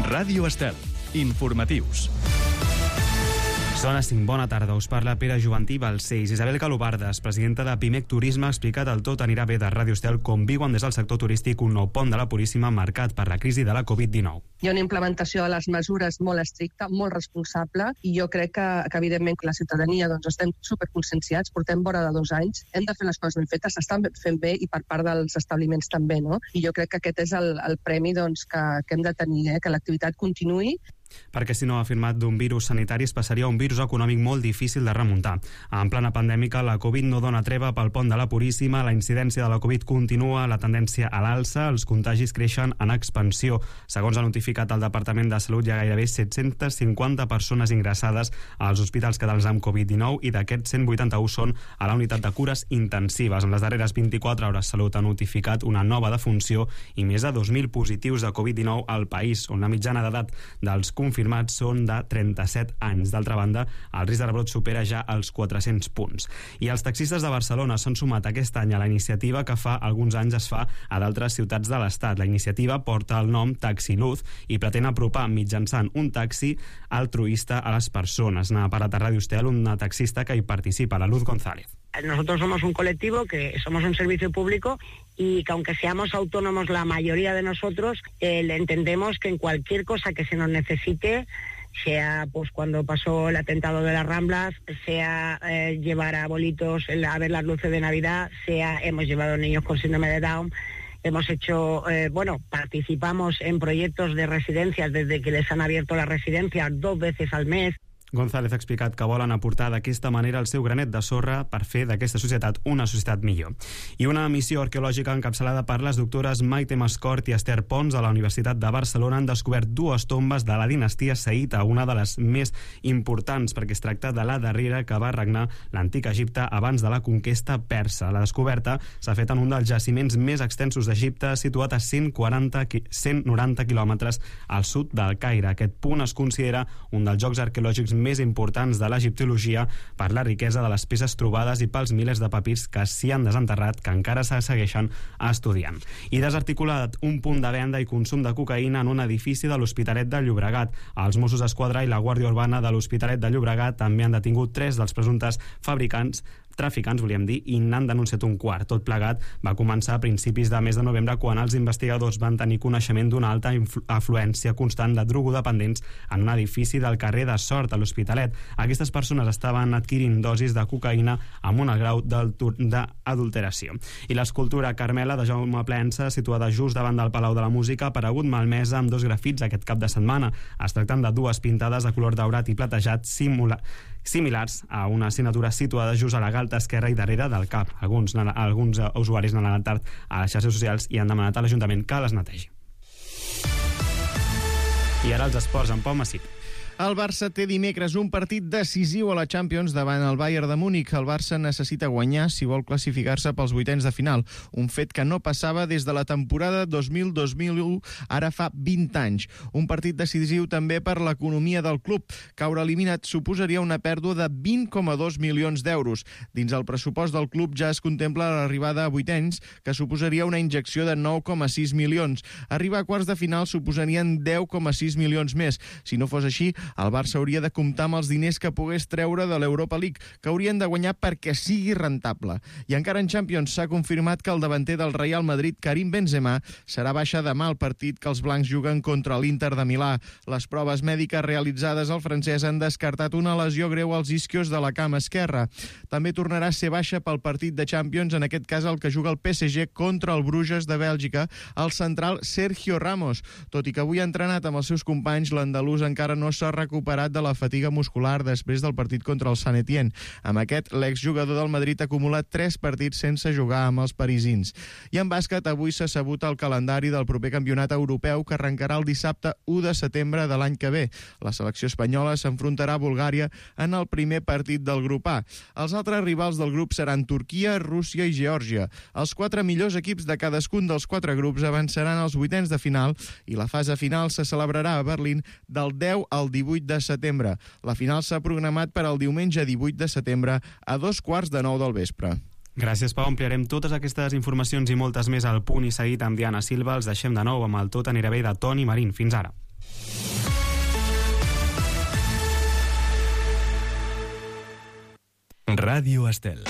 Ràdio Estel. Informatius. Són les 5. Bona tarda. Us parla Pere Joventí Balcells. Isabel Calobardes, presidenta de Pimec Turisme, ha explicat el Tot anirà bé de Ràdio Estel com viuen des del sector turístic un nou pont de la Puríssima marcat per la crisi de la Covid-19. Hi ha una implementació de les mesures molt estricta, molt responsable, i jo crec que evidentment, la ciutadania estem superconscienciats, portem vora de 2 anys, hem de fer les coses ben fetes, s'estan fent bé i per part dels establiments també, no? I jo crec que aquest és el premi que hem de tenir, que l'activitat continuï. Perquè si no, ha afirmat, d'un virus sanitari es passaria a un virus econòmic molt difícil de remuntar. En plena pandèmica, la Covid no dona treva pel pont de la Puríssima, la incidència de la Covid continua, la tendència a l'alça, els contagis creixen en expansió. Segons ha notificat el Departament de Salut, hi ha gairebé 750 persones ingressades als hospitals catalans amb Covid-19 i d'aquests 181 són a la unitat de cures intensives. En les darreres 24 hores, Salut ha notificat una nova defunció i més de 2.000 positius de Covid-19 al país, on la mitjana d'edat dels confirmats són de 37 anys. D'altra banda, el risc de rebrot supera ja els 400 punts. I els taxistes de Barcelona s'han sumat aquest any a la iniciativa que fa alguns anys es fa a d'altres ciutats de l'Estat. La iniciativa porta el nom Taxi Luz i pretén apropar mitjançant un taxi altruista a les persones. N'ha parlat a Ràdio Estel una taxista que hi participa, la Luz González. Nosotros somos un colectivo, que somos un servicio público y que aunque seamos autónomos la mayoría de nosotros, entendemos que en cualquier cosa que se nos necesite, sea pues cuando pasó el atentado de las Ramblas, sea llevar a abuelitos a ver las luces de Navidad, sea hemos llevado niños con síndrome de Down, hemos hecho, participamos en proyectos de residencias desde que les han abierto las residencias 2 veces al mes. González ha explicat que volen aportar d'aquesta manera el seu granet de sorra per fer d'aquesta societat una societat millor. I una missió arqueològica encapçalada per les doctores Maite Mascort i Esther Pons de la Universitat de Barcelona han descobert 2 tombes de la dinastia Saïta, una de les més importants perquè es tracta de la darrera que va regnar l'antic Egipte abans de la conquesta persa. La descoberta s'ha fet en un dels jaciments més extensos d'Egipte, situat a 190 quilòmetres al sud del Caire. Aquest punt es considera un dels llocs arqueològics més importants de l'egiptologia per la riquesa de les peces trobades i pels milers de papirs que s'hi han desenterrat que encara se segueixen estudiant. I desarticulat un punt de venda i consum de cocaïna en un edifici de l'Hospitalet de Llobregat. Els Mossos d'Esquadra i la Guàrdia Urbana de l'Hospitalet de Llobregat també han detingut 3 dels presumptes traficants, volíem dir, i n'han denunciat un quart. Tot plegat va començar a principis de mes de novembre quan els investigadors van tenir coneixement d'una alta afluència constant de drogodependents en un edifici del carrer de Sort a l'Hospitalet. Aquestes persones estaven adquirint dosis de cocaïna amb un alt grau d'adulteració. I l'escultura Carmela de Jaume Plensa, situada just davant del Palau de la Música, ha aparegut malmesa amb 2 grafits aquest cap de setmana. Es tracten de 2 pintades de color daurat i platejat similars a una assignatura situada just a la galta esquerra i darrere del cap. Alguns usuaris n'han alertat a les xarxes socials i han demanat a l'Ajuntament que les netegi. I ara els esports amb Pau Massip. El Barça té dimecres un partit decisiu a la Champions davant el Bayern de Múnich. El Barça necessita guanyar si vol classificar-se pels 8ens de final, un fet que no passava des de la temporada 2000-2001, ara fa 20 anys. Un partit decisiu també per l'economia del club. Caure eliminat suposaria una pèrdua de 20,2 milions d'euros. Dins el pressupost del club ja es contempla l'arribada a 8ens, que suposaria una injecció de 9,6 milions. Arribar a quarts de final suposarien 10,6 milions més. Si no fos així, el Barça hauria de comptar amb els diners que pogués treure de l'Europa League, que haurien de guanyar perquè sigui rentable. I encara en Champions s'ha confirmat que el davanter del Real Madrid, Karim Benzema, serà baixa demà al partit que els blancs juguen contra l'Inter de Milà. Les proves mèdiques realitzades al francès han descartat una lesió greu als isquios de la cama esquerra. També tornarà a ser baixa pel partit de Champions, en aquest cas el que juga el PSG contra el Bruges de Bèlgica, el central Sergio Ramos. Tot i que avui ha entrenat amb els seus companys, l'andalús encara no s'ha recuperat de la fatiga muscular després del partit contra el Sant Etienne. Amb aquest, l'exjugador del Madrid ha acumulat 3 partits sense jugar amb els parisins. I en bàsquet, avui s'ha sabut el calendari del proper campionat europeu que arrencarà el dissabte 1 de setembre de l'any que ve. La selecció espanyola s'enfrontarà a Bulgària en el primer partit del grup A. Els altres rivals del grup seran Turquia, Rússia i Geòrgia. Els 4 millors equips de cadascun dels 4 grups avançaran als 8ens de final i la fase final se celebrarà a Berlín del 10 al 18 de setembre. La final s'ha programat per al diumenge 18 de setembre a 9:15 del vespre. Gràcies, Pau. Ampliarem totes aquestes informacions i moltes més al Punt i Seguit amb Diana Silva. Els deixem de nou amb el Tot anirà bé de Toni Marín. Fins ara. Ràdio Estel.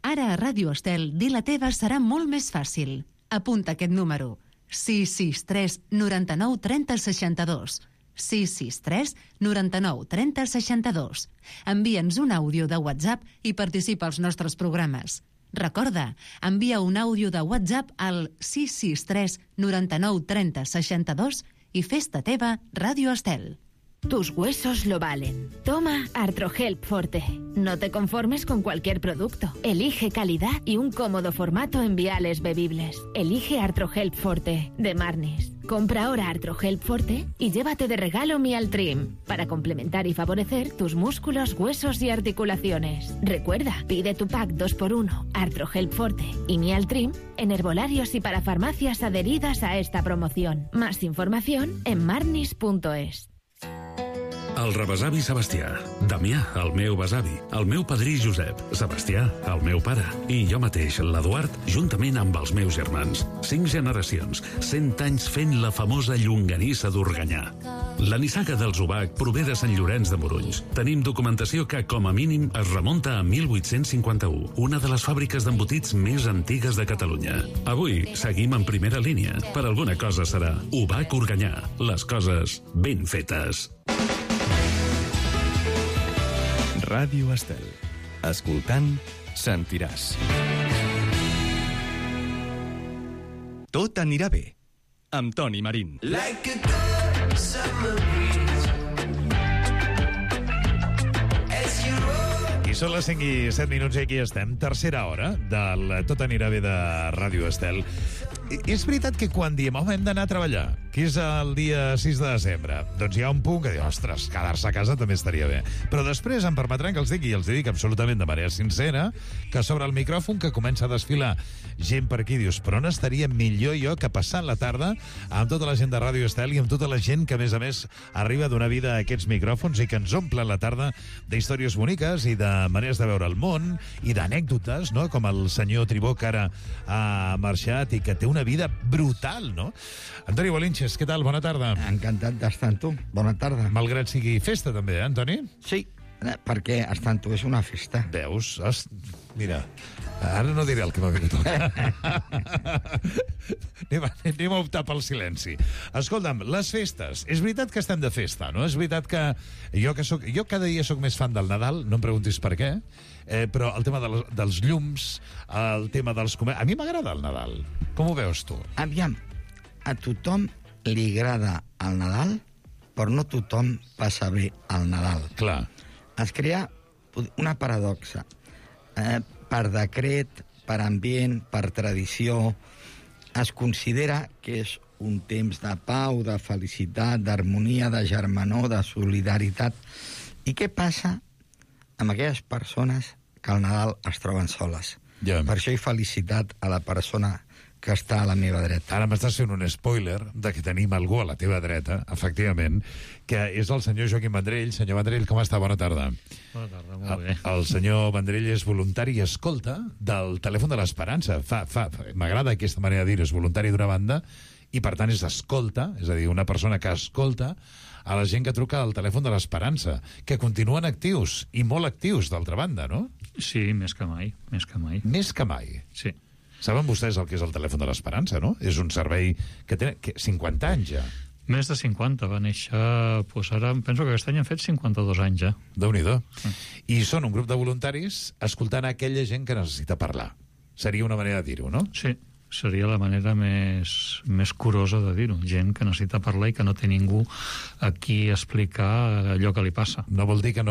Ara a Ràdio Estel, dir la teva serà molt més fàcil. Apunta aquest número. 663 99 30 62. 663 99 30 62. Envia'ns un àudio de WhatsApp i participa als nostres programes. Recorda, envia un àudio de WhatsApp al 663 99 30 62 i fes-te teva Ràdio Estel. Tus huesos lo valen. Toma Artrohelp Forte. No te conformes con cualquier producto. Elige calidad y un cómodo formato en viales bebibles. Elige Artrohelp Forte de Marnis. Compra ahora Artrohelp Forte y llévate de regalo Mialtrim para complementar y favorecer tus músculos, huesos y articulaciones. Recuerda, pide tu pack 2x1 Artrohelp Forte y Mialtrim en herbolarios y para farmacias adheridas a esta promoción. Más información en marnis.es. El rebesavi Sebastià, Damià, el meu besavi, el meu padrí Josep, Sebastià, el meu pare, i jo mateix, l'Eduard, juntament amb els meus germans. 5 generacions, 100 anys fent la famosa llonganissa d'Organyà. La nissaga dels Ubac prové de Sant Llorenç de Morunys. Tenim documentació que, com a mínim, es remunta a 1851, una de les fàbriques d'embotits més antigues de Catalunya. Avui seguim en primera línia. Per alguna cosa serà Ubac Organyà. Les coses ben fetes. Ràdio Estel. Escoltant, sentiràs. Tot anirà bé. Amb Toni Marín. Like a good summer breeze. As you roll. I són les 5 i 7 minuts i aquí estem. Tercera hora del Tot anirà bé de Ràdio Estel. És veritat que quan diem, home, hem d'anar a treballar, que és el dia 6 de desembre, doncs hi ha un punt que diu, ostres, quedar-se a casa també estaria bé. Però després em permetran que els digui, i els dic absolutament de manera sincera, que sobre el micròfon que comença a desfilar gent per aquí, dius, però on estaria millor jo que passant la tarda amb tota la gent de Ràdio Estel i amb tota la gent que, a més, arriba a donar vida a aquests micròfons i que ens omplen la tarda d'històries boniques i de maneres de veure el món i d'anècdotes, no?, com el senyor Tribó, que ara ha marxat i que té una vida brutal, no? Antoni Bolinches, què tal? Bona tarda. Encantat d'estar amb tu. Bona tarda. Malgrat sigui festa, també, Antoni? Sí, perquè estar amb tu és una festa. Veus? Mira, ara no diré el que m'ha vingut. anem a optar pel silenci. Escolta'm, les festes. És veritat que estem de festa, no? És veritat que jo cada dia sóc més fan del Nadal, no em preguntis per què, però el tema dels llums, el tema dels comerços... A mi m'agrada el Nadal. Com ho veus tu? Aviam, a tothom li agrada el Nadal, però no tothom passa bé el Nadal. Clar. Es crea una paradoxa. Per decret, per ambient, per tradició, es considera que és un temps de pau, de felicitat, d'harmonia, de germanor, de solidaritat. I què passa amb aquelles persones que al Nadal es troben soles? Ja. Per això he felicitat a la persona que està a la meva dreta. Ara m'estàs fent un spoiler de que tenim algú a la teva dreta, efectivament, que és el senyor Joaquim Vendrell. Senyor Vendrell, com està? Bona tarda. Bona tarda, molt bé. El senyor Vendrell és voluntari i escolta del Telèfon de l'Esperança. M'agrada aquesta manera de dir, és voluntari d'una banda i, per tant, és escolta, és a dir, una persona que escolta a la gent que truca al Telèfon de l'Esperança, que continuen actius, i molt actius, d'altra banda, no? Sí, més que mai, més que mai. Més que mai? Sí. Saben vostès el que és el Telèfon de l'Esperança, no? És un servei que té 50 anys ja. Més de 50, va néixer... Doncs ara penso que aquest any han fet 52 anys ja. Déu-n'hi-do. I són un grup de voluntaris escoltant aquella gent que necessita parlar. Seria una manera de dir-ho, no? Sí, seria la manera més curosa de dir-ho. Gent que necessita parlar i que no té ningú a qui explicar allò que li passa. No vol dir que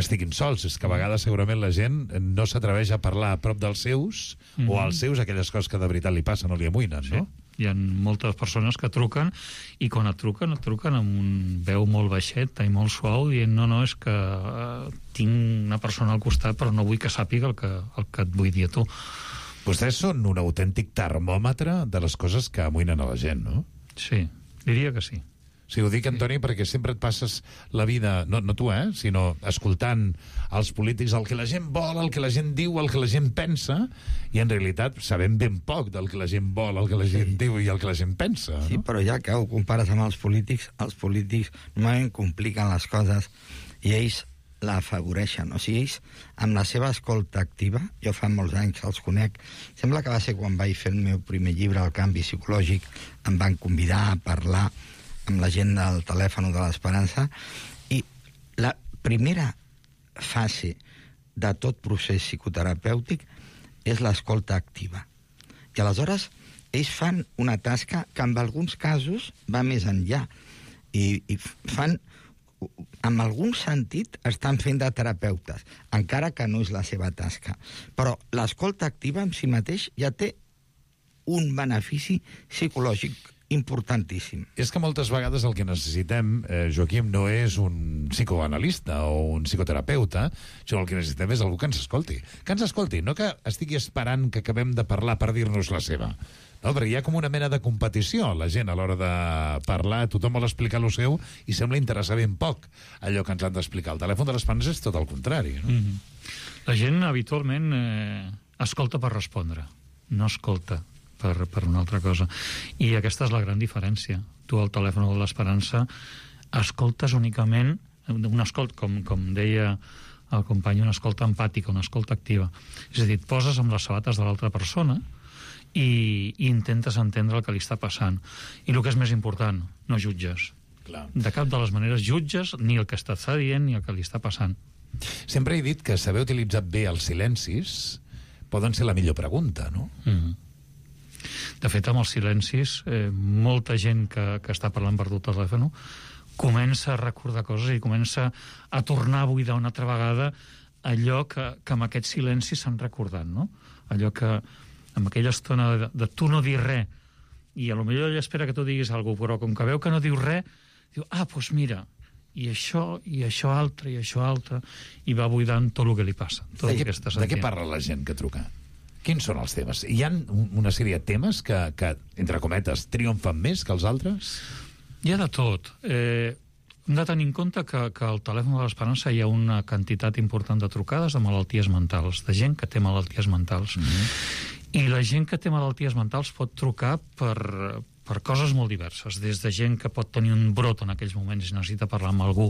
estiguin sols, és que a vegades segurament la gent no s'atreveix a parlar a prop dels seus o als seus aquelles coses que de veritat li passen o li amoïnen, no? Hi ha moltes persones que truquen i quan et truquen amb un veu molt baixeta i molt suau dient no, és que tinc una persona al costat però no vull que sàpiga el que et vull dir a tu. Vostès són un autèntic termòmetre de les coses que amoïnen a la gent, no? Sí, diria que sí. O sigui, ho dic, Antoni, perquè sempre et passes la vida, no tu, sinó escoltant els polítics el que la gent vol, el que la gent diu, el que la gent pensa, i en realitat sabem ben poc del que la gent vol, el que la gent diu i el que la gent pensa. Sí, però ja que ho compares amb els polítics normalment compliquen les coses i ells l'afavoreixen. O sigui, ells, amb la seva escolta activa, jo fa molts anys que els conec, sembla que va ser quan vaig fer el meu primer llibre, El canvi psicològic, em van convidar a parlar amb la gent del telèfon de l'Esperança, i la primera fase de tot procés psicoterapèutic és l'escolta activa. I aleshores ells fan una tasca que en alguns casos va més enllà i fan, en algun sentit, estan fent de terapeutes, encara que no és la seva tasca. Però l'escolta activa en si mateix ja té un benefici psicològic importantíssim. És que moltes vegades el que necessitem, Joaquim, no és un psicoanalista o un psicoterapeuta, sinó el que necessitem és algú que ens escolti. Que ens escolti, no que estigui esperant que acabem de parlar per dir-nos la seva. No, perquè hi ha com una mena de competició. La gent, a l'hora de parlar, tothom vol explicar el seu i sembla interessar ben poc allò que ens han d'explicar. El telèfon de l'Esperança és tot el contrari. No? La gent habitualment escolta per respondre, no escolta per una altra cosa. I aquesta és la gran diferència. Tu al telèfon de l'Esperança escoltes únicament, un escolt, com deia el company, una escolta empàtica, una escolta activa. És a dir, et poses amb les sabates de l'altra persona i intentes entendre el que li està passant. I el que és més important, no jutges. Clar. De cap de les maneres jutges ni el que està dient ni el que li està passant. Sempre he dit que saber utilitzar bé els silencis poden ser la millor pregunta, no? De fet, amb els silencis, molta gent que està parlant per tot el telèfon comença a recordar coses i comença a tornar a buidar una altra vegada allò que amb aquest silenci s'han recordat, no? Allò que amb aquella estona de tu no dir res i potser ella espera que tu diguis alguna cosa, però com que veu que no dius res, diu, doncs mira, i això altre, i va buidant tot el que li passa. De què parla la gent que truca? Quins són els temes? Hi ha una sèrie de temes que entre cometes, triomfen més que els altres? Hi ha de tot. Hem de tenir en compte que al telèfon de l'Esperança hi ha una quantitat important de trucades de malalties mentals, de gent que té malalties mentals. I la gent que té malalties mentals pot trucar per coses molt diverses, des de gent que pot tenir un brot en aquells moments i necessita parlar amb algú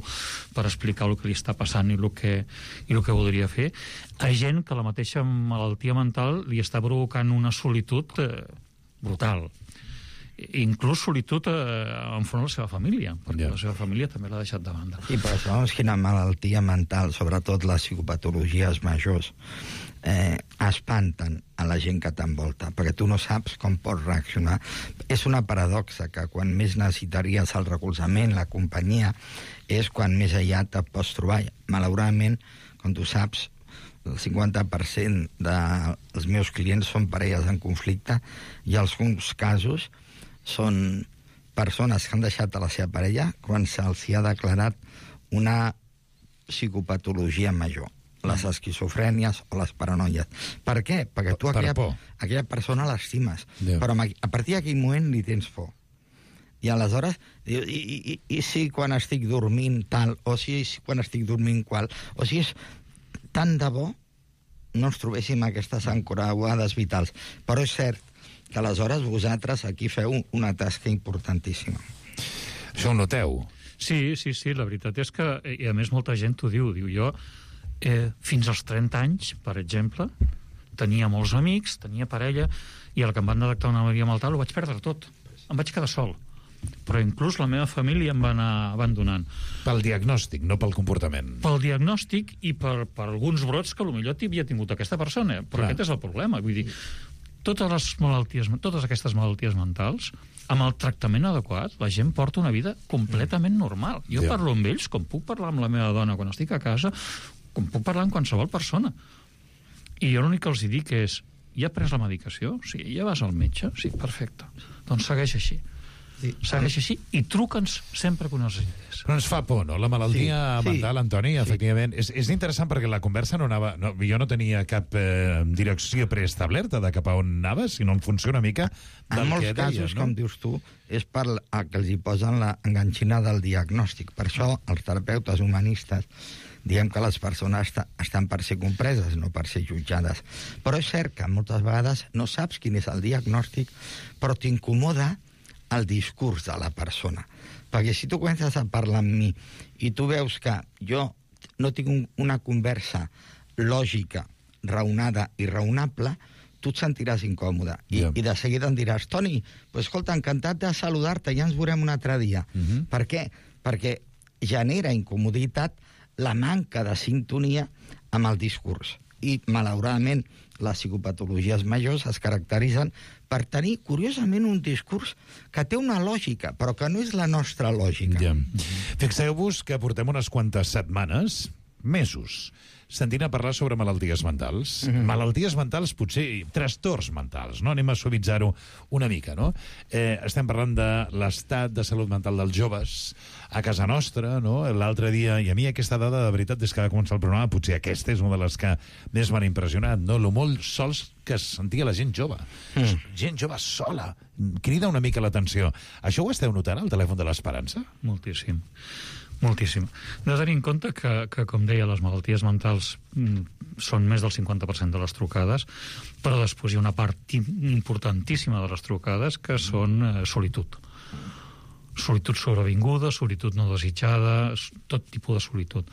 per explicar el que li està passant i el que voldria fer, a gent que la mateixa malaltia mental li està provocant una solitud brutal. Inclús solitud enfront de la seva família, perquè la seva família també l'ha deixat de banda. I per això, quina malaltia mental, sobretot les psicopatologies majors, espanten a la gent que t'envolta, perquè tu no saps com pots reaccionar. És una paradoxa que quan més necessitaries el recolzament, la companyia, és quan més aïllat et pots trobar. Malauradament, com tu saps, el 50% dels meus clients són parelles en conflicte i en alguns casos són persones que han deixat a la seva parella quan se'ls ha declarat una psicopatologia major, les esquizofrènies o les paranoies. Per què? Perquè tu aquella persona l'estimes, però a partir d'aquell moment li tens por. I aleshores, i si quan estic dormint tal, o si quan estic dormint qual, o si és tant de bo no ens trobéssim aquestes encreuades vitals. Però és cert que aleshores vosaltres aquí feu una tasca importantíssima. Això ho noteu? Sí, la veritat és que, i a més molta gent t'ho diu, jo fins als 30 anys, per exemple, tenia molts amics, tenia parella, i el que em van detectar una malaltia mental ho vaig perdre tot. Em vaig quedar sol. Però inclús la meva família em va anar abandonant. Pel diagnòstic, no pel comportament. Pel diagnòstic i per alguns brots que potser havia tingut aquesta persona. Però aquest és el problema. Vull dir, totes aquestes malalties mentals, amb el tractament adequat, la gent porta una vida completament normal. Jo parlo amb ells com puc parlar amb la meva dona quan estic a casa, com puc parlar amb qualsevol persona. I jo l'únic que els dic és, ja has pres la medicació? Sí, ja vas al metge? Sí, perfecte. Doncs segueix així. Segueix així i truca'ns sempre que ho necessites. Però ens fa por, no? La malaltia mental, Antoni, efectivament. És interessant perquè la conversa no anava... Jo no tenia cap direcció preestablerta de cap a on anava, sinó en funció una mica del en molts que casos, deies, no? com dius tu, és per que els hi posen la enganxina del diagnòstic. Per això els terapeutes humanistes diem que les persones estan per ser compreses, no per ser jutjades. Però és cert que moltes vegades no saps quin és el diagnòstic, però t'incomoda el discurs de la persona. Perquè si tu comences a parlar amb mi i tu veus que jo no tinc una conversa lògica, raonada i raonable, tu et sentiràs incòmode. I de seguida em diràs, Toni, pues, escolta, encantat de saludar-te, ja ens veurem un altre dia. Per què? Perquè genera incomoditat la manca de sintonia amb el discurs. I, malauradament, les psicopatologies majors es caracteritzen per tenir, curiosament, un discurs que té una lògica, però que no és la nostra lògica. Fixeu-vos que portem unes quantes setmanes, mesos, sentint a parlar sobre malalties mentals. Malalties mentals, potser trastorns mentals, no? Anem a suavitzar-ho una mica, no? Estem parlant de l'estat de salut mental dels joves a casa nostra, no? L'altre dia, i a mi aquesta dada, de veritat, des que va començar el programa, potser aquesta és una de les que més m'han impressionat, no? Lo molt sols que es sentia la gent jove. Gent jove sola. Crida una mica l'atenció. Això ho esteu notant al telèfon de l'Esperança? Moltíssim. Moltíssim. Hem de tenir en compte que, com deia, les malalties mentals són més del 50% de les trucades, però després hi ha una part importantíssima de les trucades que són solitud. Solitud sobrevinguda, solitud no desitjada, tot tipus de solitud.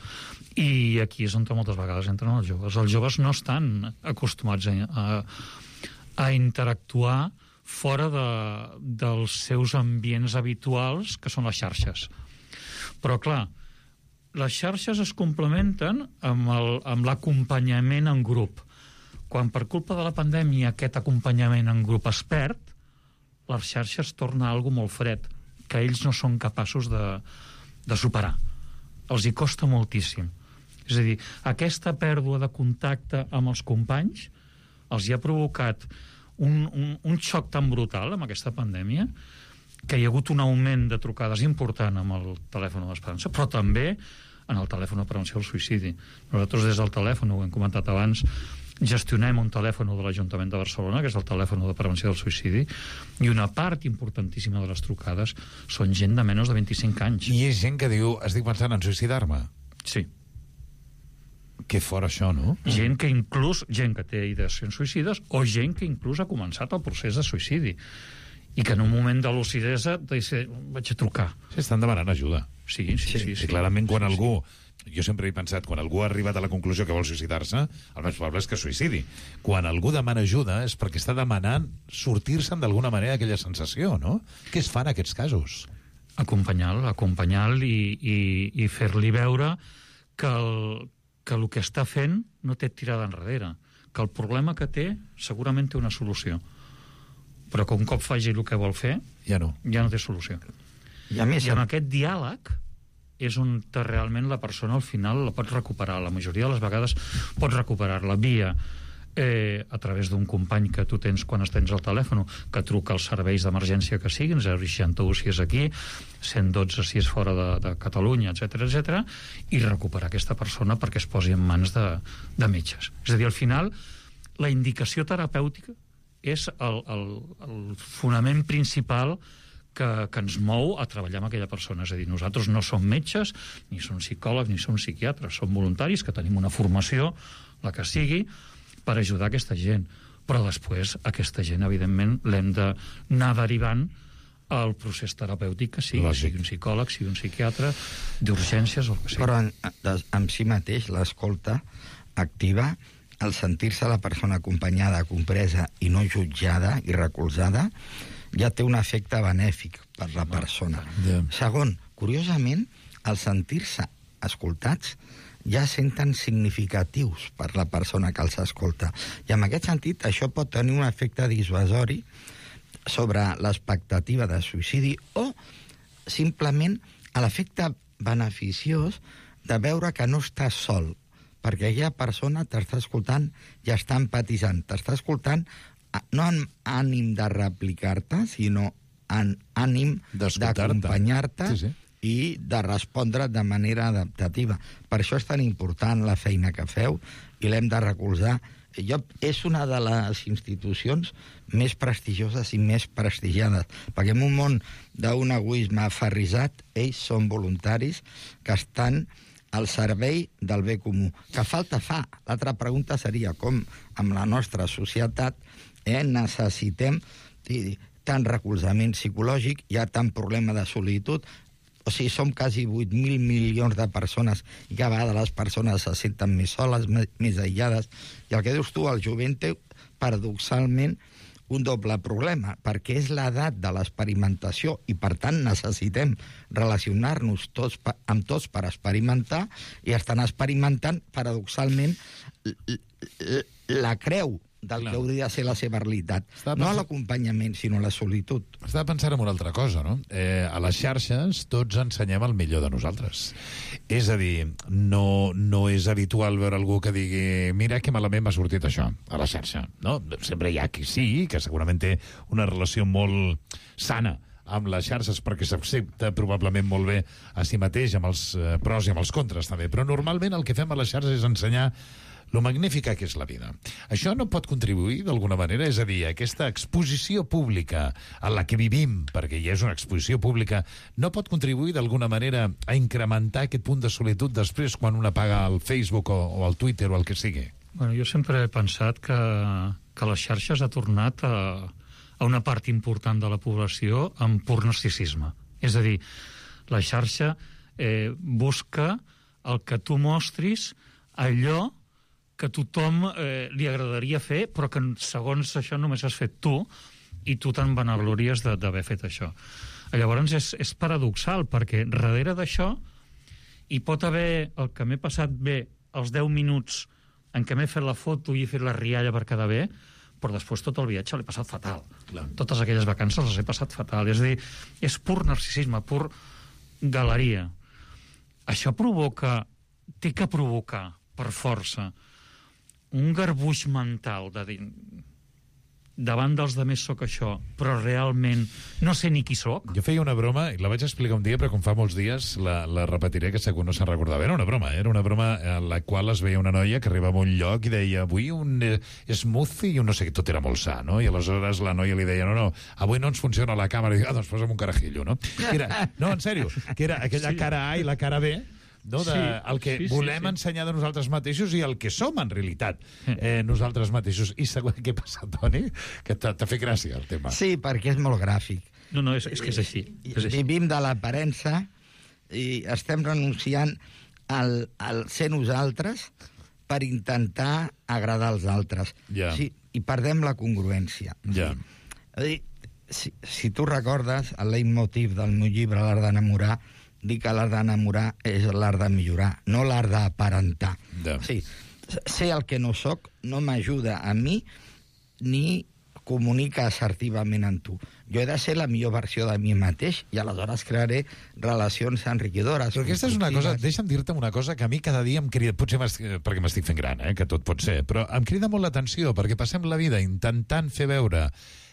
I aquí és on moltes vegades entren els joves. Els joves no estan acostumats a interactuar fora dels seus ambients habituals, que són les xarxes. Però, clar, les xarxes es complementen amb l'acompanyament en grup. Quan per culpa de la pandèmia aquest acompanyament en grup es perd, les xarxes torna a algo molt fred, que ells no són capaços de superar. Els hi costa moltíssim. És a dir, aquesta pèrdua de contacte amb els companys els hi ha provocat un xoc tan brutal amb aquesta pandèmia que hi ha hagut un augment de trucades important amb el telèfon de l'Esperança, però també en el telèfon de prevenció del suïcidi. Nosaltres des del telèfon, ho hem comentat abans, gestionem un telèfon de l'Ajuntament de Barcelona, que és el telèfon de prevenció del suïcidi, i una part importantíssima de les trucades són gent de menys de 25 anys. I és gent que diu, estic pensant en suïcidar-me. Sí. Que fora això, no? Gent que té ideacions suïcides o gent que inclús ha començat el procés de suïcidi i que en un moment de lucidesa vaig a trucar. Sí, estan demanant ajuda. Sí. I clarament quan algú... Jo sempre he pensat, quan algú ha arribat a la conclusió que vol suïcidar-se, el més probable és que suïcidi. Quan algú demana ajuda és perquè està demanant sortir-se'n d'alguna manera d'aquella sensació, no? Què es fa en aquests casos? Acompanyar-lo i fer-li veure que el que està fent no té tirada enrere, que el problema que té segurament té una solució, però que un cop faci el que vol fer ja no té solució. I amb aquest diàleg és on realment la persona al final la pot recuperar. La majoria de les vegades pots recuperar-la via a través d'un company que tu tens quan tens al telèfon, que truca als serveis d'emergència que siguin, 061 si és aquí, 112 si és fora de Catalunya, etc, i recuperar aquesta persona perquè es posi en mans de metges. És a dir, al final, la indicació terapèutica és el fonament principal que ens mou a treballar amb aquella persona. És a dir, nosaltres no som metges, ni som psicòlegs, ni som psiquiatres, som voluntaris que tenim una formació, la que sigui, per ajudar aquesta gent. Però després aquesta gent, evidentment, l'hem d'anar derivant al procés terapèutic que sigui, sigui un psicòleg, sigui un psiquiatre, d'urgències o el que sigui. Però en si mateix l'escolta activa, el sentir-se la persona acompanyada, compresa i no jutjada i recolzada, ja té un efecte benèfic per la persona. Segon, curiosament, al sentir-se escoltats, ja senten significatius per la persona que els escolta. I en aquest sentit, això pot tenir un efecte dissuasori sobre l'expectativa de suïcidi o simplement l'efecte beneficiós de veure que no estàs sol, perquè aquella persona t'està escoltant i està empatitzant. T'està escoltant no amb ànim de replicar-te, sinó ànim d'escoltar-te, d'acompanyar-te sí. i de respondre de manera adaptativa. Per això és tan important la feina que feu i l'hem de recolzar. És una de les institucions més prestigioses i més prestigiades, perquè en un món d'un egoisme aferrissat, ells són voluntaris que estan al servei del bé comú. Que falta fa? L'altra pregunta seria com amb la nostra societat necessitem tant recolzament psicològic, hi ha tant problema de solitud, o sigui, som quasi 8.000 milions de persones i cada vegada les persones se senten més soles, més aïllades. I el que dius tu, el jovent té, paradoxalment, un doble problema, perquè és l'edat de l'experimentació i, per tant, necessitem relacionar-nos amb tots per experimentar i estan experimentant, paradoxalment, la creu del que hauria de ser la seva realitat. No l'acompanyament, sinó la solitud. Estava pensant en una altra cosa, no? A les xarxes tots ensenyem el millor de nosaltres. És a dir, no és habitual veure algú que digui mira que malament m'ha sortit això a la xarxa, no? Sempre hi ha qui sí, que segurament té una relació molt sana amb les xarxes perquè s'accepta probablement molt bé a si mateix, amb els pros i amb els contres també, però normalment el que fem a les xarxes és ensenyar lo magnífica que és la vida. Això no pot contribuir d'alguna manera? És a dir, aquesta exposició pública en la que vivim, perquè ja és una exposició pública, no pot contribuir d'alguna manera a incrementar aquest punt de solitud després quan un apaga el Facebook o el Twitter o el que sigui? Bueno, jo sempre he pensat que les xarxes ha tornat a una part important de la població amb pur narcisisme. És a dir, la xarxa busca el que tu mostris allò que a tothom li agradaria fer, però que segons això només has fet tu i tu te'n vanaglories d'haver fet això. Llavors és paradoxal, perquè darrere d'això hi pot haver el que m'he passat bé els 10 minuts en què m'he fet la foto i he fet la rialla per quedar bé, però després tot el viatge l'he passat fatal. Clar. Totes aquelles vacances les he passat fatal. És a dir, és pur narcisisme, pur galeria. Això té que provocar, per força, un garbuix mental de dir davant dels demés sóc això, però realment no sé ni qui sóc. Jo feia una broma, i la vaig explicar un dia, però com fa molts dies la repetiré, que segur no se'n recordava. Era una broma en la qual es veia una noia que arribava a un lloc i deia avui un smoothie i un no sé què, tot era molt sa, no? I aleshores la noia li deia no, avui no ens funciona la càmera, i doncs posa'm un carajillo, no? No, en sèrio, que era aquella cara A i la cara B, no, el que volem ensenyar de nosaltres mateixos i el que som en realitat nosaltres mateixos. I segur què passa, Toni? Que t'ha fet gràcia el tema. Sí, perquè és molt gràfic. No, és que és així. Vivim de l'aparença i estem renunciant al ser nosaltres per intentar agradar als altres. Yeah. Sí, i perdem la congruència. Yeah. Si tu recordes el leitmotiv del meu llibre L'art d'enamorar, dic que l'art d'enamorar és l'art de millorar, no l'art d'aparentar. Yeah. Sí, ser el que no soc no m'ajuda a mi ni comunica assertivament amb tu. Jo he de ser la millor versió de mi mateix i aleshores crearé relacions enriquidores. Però aquesta és una cosa, deixa'm dir-te una cosa que a mi cada dia em crida, potser perquè m'estic fent gran, que tot pot ser, però em crida molt l'atenció perquè passem la vida intentant fer veure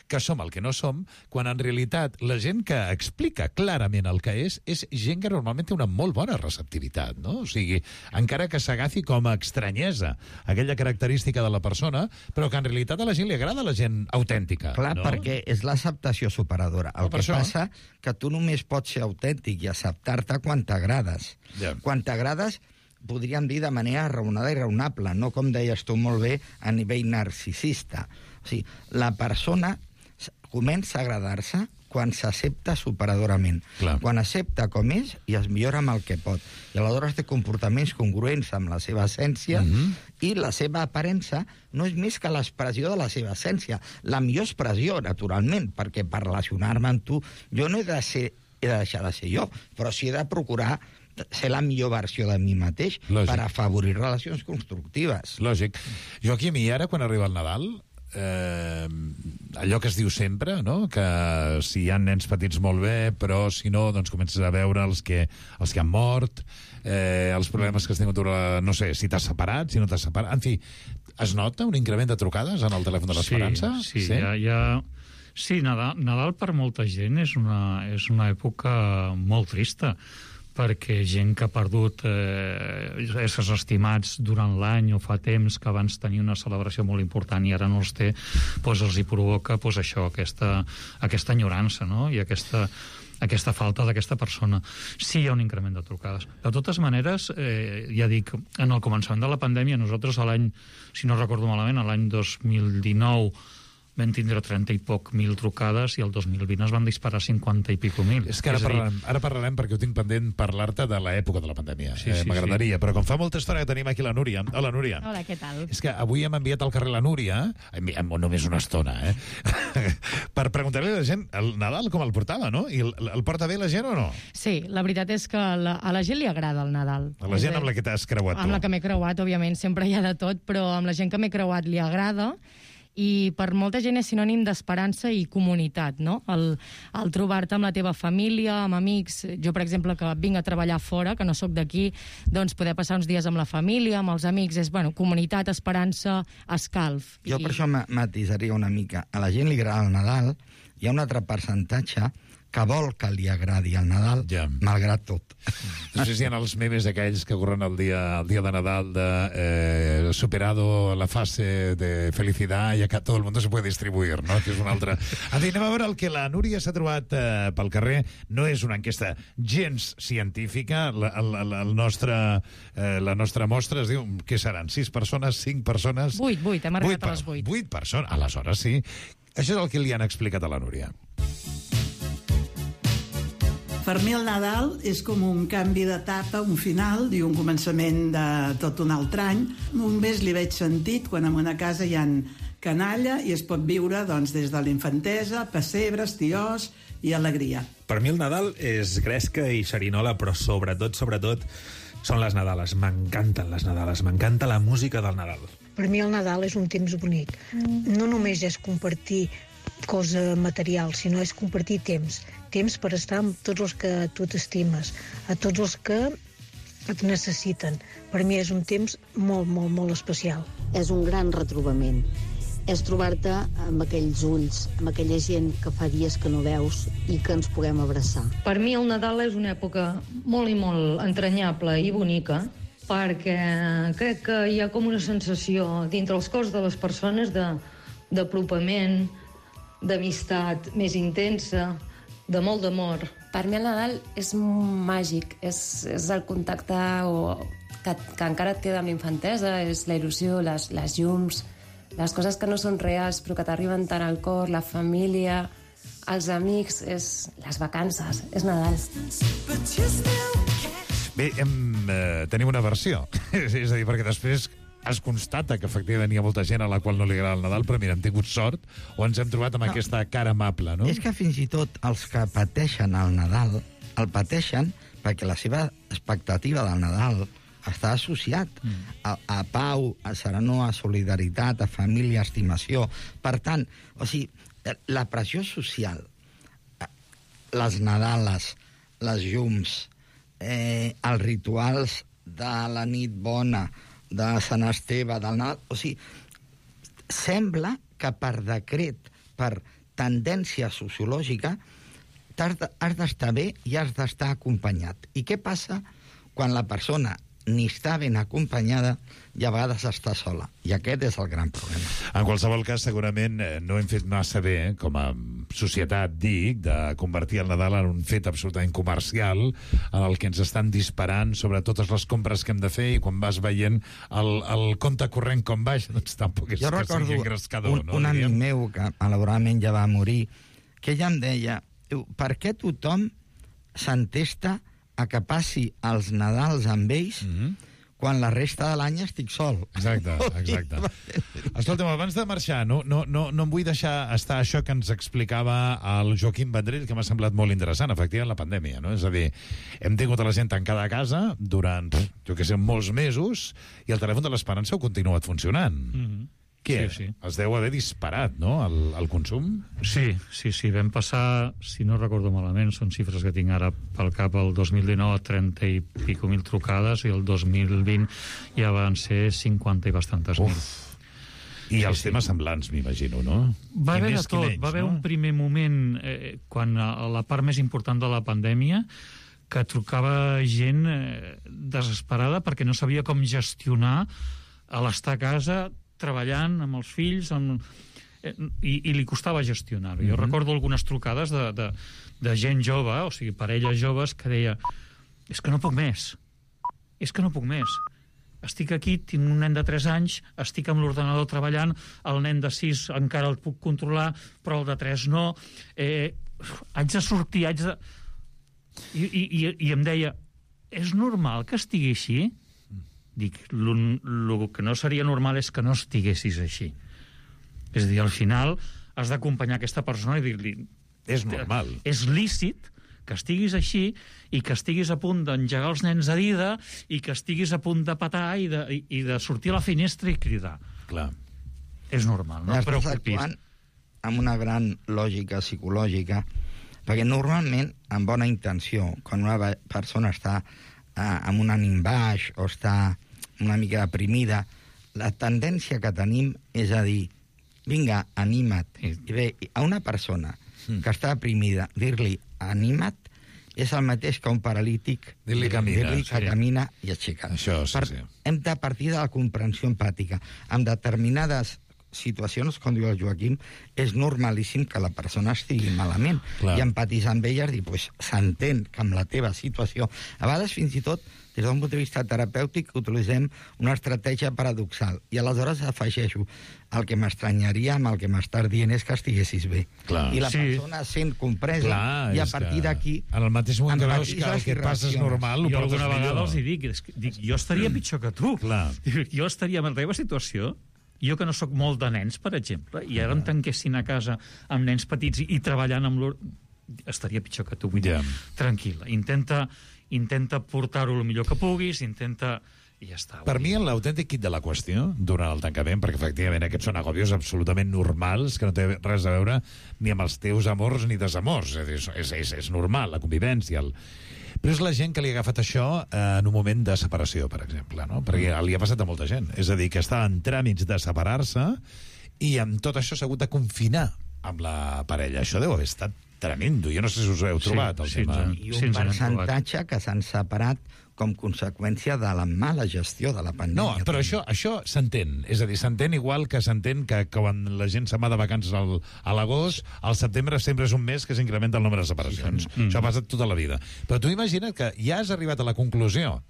que som el que no som, quan en realitat la gent que explica clarament el que és gent que normalment té una molt bona receptivitat, no? O sigui, encara que s'agafi com a estranyesa aquella característica de la persona, però que en realitat a la gent li agrada la gent autèntica. Clar, no? perquè és l'acceptació superadora. El que passa que tu només pots ser autèntic i acceptar-te quan t'agrades. Yeah. Quan t'agrades, podríem dir de manera raonada i raonable, no com deies tu molt bé, a nivell narcisista. O sigui, la persona comença a agradar-se quan s'accepta superadorament. Clar. Quan accepta com és i es millora amb el que pot. I aleshores té comportaments congruents amb la seva essència i la seva aparença no és més que l'expressió de la seva essència. La millor expressió, naturalment, perquè per relacionar-me amb tu jo no he de deixar de ser jo, però sí he de procurar ser la millor versió de mi mateix. Lògic. Per afavorir relacions constructives. Lògic. Joaquim, i ara quan arriba el Nadal, allò que es diu sempre, no? Que si hi ha nens petits molt bé, però si no, doncs comences a veure els que han mort, els problemes que has tingut, no sé, si t'has separat, si no t'has separat, en fi, es nota un increment de trucades en el telèfon de l'Esperança? Sí. Hi ha Sí, Nadal per molta gent és una època molt trista, perquè gent que ha perdut éssers estimats durant l'any o fa temps que abans tenia una celebració molt important i ara no els té, doncs els hi provoca això, aquesta enyorança, no? I aquesta falta d'aquesta persona. Sí hi ha un increment de trucades. De totes maneres, ja dic, en el començament de la pandèmia, nosaltres l'any, si no recordo malament, l'any 2019 vam tindre 30 i poc mil trucades i el 2020 es van disparar 50 i pico mil. És que ara parlarem perquè ho tinc pendent parlar-te de l'època de la pandèmia. M'agradaria, però com fa molta estona que tenim aquí la Núria. Hola, Núria. Hola, què tal? És que avui hem enviat al carrer la Núria, només una estona, per preguntar-li a la gent el Nadal com el portava, no? I el porta bé la gent o no? Sí, la veritat és que a la gent li agrada el Nadal. A la gent amb la que t'has creuat tu. Amb la que m'he creuat, òbviament, sempre hi ha de tot, però amb la gent que m'he creuat li agrada. I per molta gent és sinònim d'esperança i comunitat, no? El trobar-te amb la teva família, amb amics. Jo, per exemple, que vinc a treballar fora, que no sóc d'aquí, doncs poder passar uns dies amb la família, amb els amics, és, comunitat, esperança, escalf. Jo per això matisaria una mica. A la gent li agrada el Nadal, hi ha un altre percentatge que vol que li agradi el Nadal, malgrat tot. No sé si hi ha els memes aquells que corren el dia de Nadal de superado la fase de felicidad y acá todo el mundo se puede distribuir, no? Que és una altra... Anem a veure el que la Núria s'ha trobat pel carrer. No és una enquesta gens científica. La nostra mostra es diu, què seran? 6 persones, 5 persones? 8, hem arribat a les 8. 8 persones, aleshores sí. Això és el que li han explicat a la Núria. Per mi el Nadal és com un canvi d'etapa, un final i un començament de tot un altre any. Només li veig sentit quan en una casa hi ha canalla i es pot viure des de la infantesa, pessebres, tiós i alegria. Per mi el Nadal és gresca i xerinola, però sobretot són les Nadales. M'encanten les Nadales, m'encanta la música del Nadal. Per mi el Nadal és un temps bonic. No només és compartir cosa material, sinó és compartir temps per estar amb tots els que tu t'estimes, a tots els que et necessiten. Per mi és un temps molt, molt, molt especial. És un gran retrobament. És trobar-te amb aquells ulls, amb aquella gent que fa dies que no veus i que ens puguem abraçar. Per mi el Nadal és una època molt i molt entranyable i bonica, perquè crec que hi ha com una sensació dintre els cors de les persones d'apropament, d'amistat més intensa, de molt d'amor. Per mi el Nadal és màgic, és el contacte que encara et queda amb l'infantesa, és la il·lusió, les llums, les coses que no són reals però que t'arriben tant al cor, la família, els amics, és les vacances, és Nadal. Bé, tenim una versió, és a dir, perquè després es constata que efectivament hi ha molta gent a la qual no li agrada el Nadal, però mira, hem tingut sort o ens hem trobat amb aquesta cara amable, no? És que fins i tot els que pateixen el Nadal el pateixen perquè la seva expectativa del Nadal està associat a pau, a serenor, a solidaritat, a família, a estimació. Per tant, la pressió social, les Nadales, les llums, els rituals de la nit bona, de Sant Esteve, del Nadal... sembla que per decret, per tendència sociològica, has d'estar bé i has d'estar acompanyat. I què passa quan la persona ni està ben acompanyada i a vegades està sola? I aquest és el gran problema. En qualsevol cas, segurament no hem fet massa bé, com a societat, dic, de convertir el Nadal en un fet absolutament comercial, en el que ens estan disparant sobre totes les compres que hem de fer, i quan vas veient el compte corrent com baix, doncs tampoc és que sigui engrescador. Un amic meu, que malauradament ja va morir, que ja em deia, per què tothom s'entesta a que passi els Nadals amb ells quan la resta de l'any estic sol? Exacte. Escolta'm, abans de marxar, no em vull deixar estar això que ens explicava el Joaquim Vendrell, que m'ha semblat molt interessant, efectivament, la pandèmia, no? És a dir, hem tingut a la gent tancada a casa durant, molts mesos, i el telèfon de l'Esperança ha continuat funcionant. Què? Sí. Es deu haver disparat, no?, el consum? Sí. Vam passar, si no recordo malament, són xifres que tinc ara pel cap, el 2019 30 i pico mil trucades, i el 2020 ja van ser 50 i bastantes mil. I els temes semblants, m'imagino, no? Va haver de tot. Va haver un primer moment, quan a la part més important de la pandèmia, que trucava gent desesperada perquè no sabia com gestionar l'estar a casa treballant amb els fills i li costava gestionar-ho. Jo recordo algunes trucades de gent jove, o sigui, parelles joves, que deia: és que no puc més, estic aquí, tinc un nen de 3 anys, estic amb l'ordenador treballant, el nen de 6 encara el puc controlar, però el de 3 no, haig de sortir, I em deia: és normal que estigui així? Dic, el que no seria normal és que no estiguessis així. És a dir, al final has d'acompanyar aquesta persona i dir-li: és normal. És lícit que estiguis així i que estiguis a punt d'engegar els nens a dida i que estiguis a punt de petar i de sortir a la finestra i cridar. Clar. És normal, no et preocupis. Estàs actuant amb una gran lògica psicològica, perquè normalment, amb bona intenció, quan una persona està amb un ànim baix o està una mica deprimida, la tendència que tenim és a dir: vinga, anima't. I bé, a una persona que està deprimida, dir-li anima't és el mateix que un paralític dir-li que camina i aixeca. Hem de partir de la comprensió empàtica. En determinades situacions, com diu el Joaquim, és normalíssim que la persona estigui malament. I empatitzar amb ella és dir, pues, s'entén que amb la teva situació, a vegades fins i tot des d'un punt de vista terapèutic utilitzem una estratègia paradoxal, i aleshores afegeixo: el que m'estranyaria amb el que m'estàs dient és que estiguessis bé. I la persona sent compresa, i a partir d'aquí en el mateix moment que veus que el que passa és normal, jo alguna vegada els dic, jo estaria pitjor que tu. Jo estaria en la teva situació. Jo, que no sóc molt de nens, per exemple, i ara em tanquessin a casa amb nens petits i treballant amb estaria pitjor que tu. Vull dir, tranquil·la, intenta portar-ho el millor que puguis, i ja està. Per mi, l'autèntic quid de la qüestió, durant el tancament, perquè efectivament aquests són agòbios absolutament normals, que no té res a veure ni amb els teus amors ni desamors. És normal, la convivència, però és la gent que li ha agafat això en un moment de separació, per exemple, no? Perquè li ha passat a molta gent. És a dir, que està en tràmits de separar-se i amb tot això s'ha hagut de confinar amb la parella. Això deu haver estat tremendo. Jo no sé si us heu trobat el tema. I un percentatge que s'han separat com conseqüència de la mala gestió de la pandèmia. No, però això s'entén. És a dir, s'entén igual que s'entén que quan la gent se'n va de vacances a l'agost, al setembre sempre és un mes que s'incrementa el nombre de separacions. Això ha passat tota la vida. Però tu imagina't que ja has arribat a la conclusió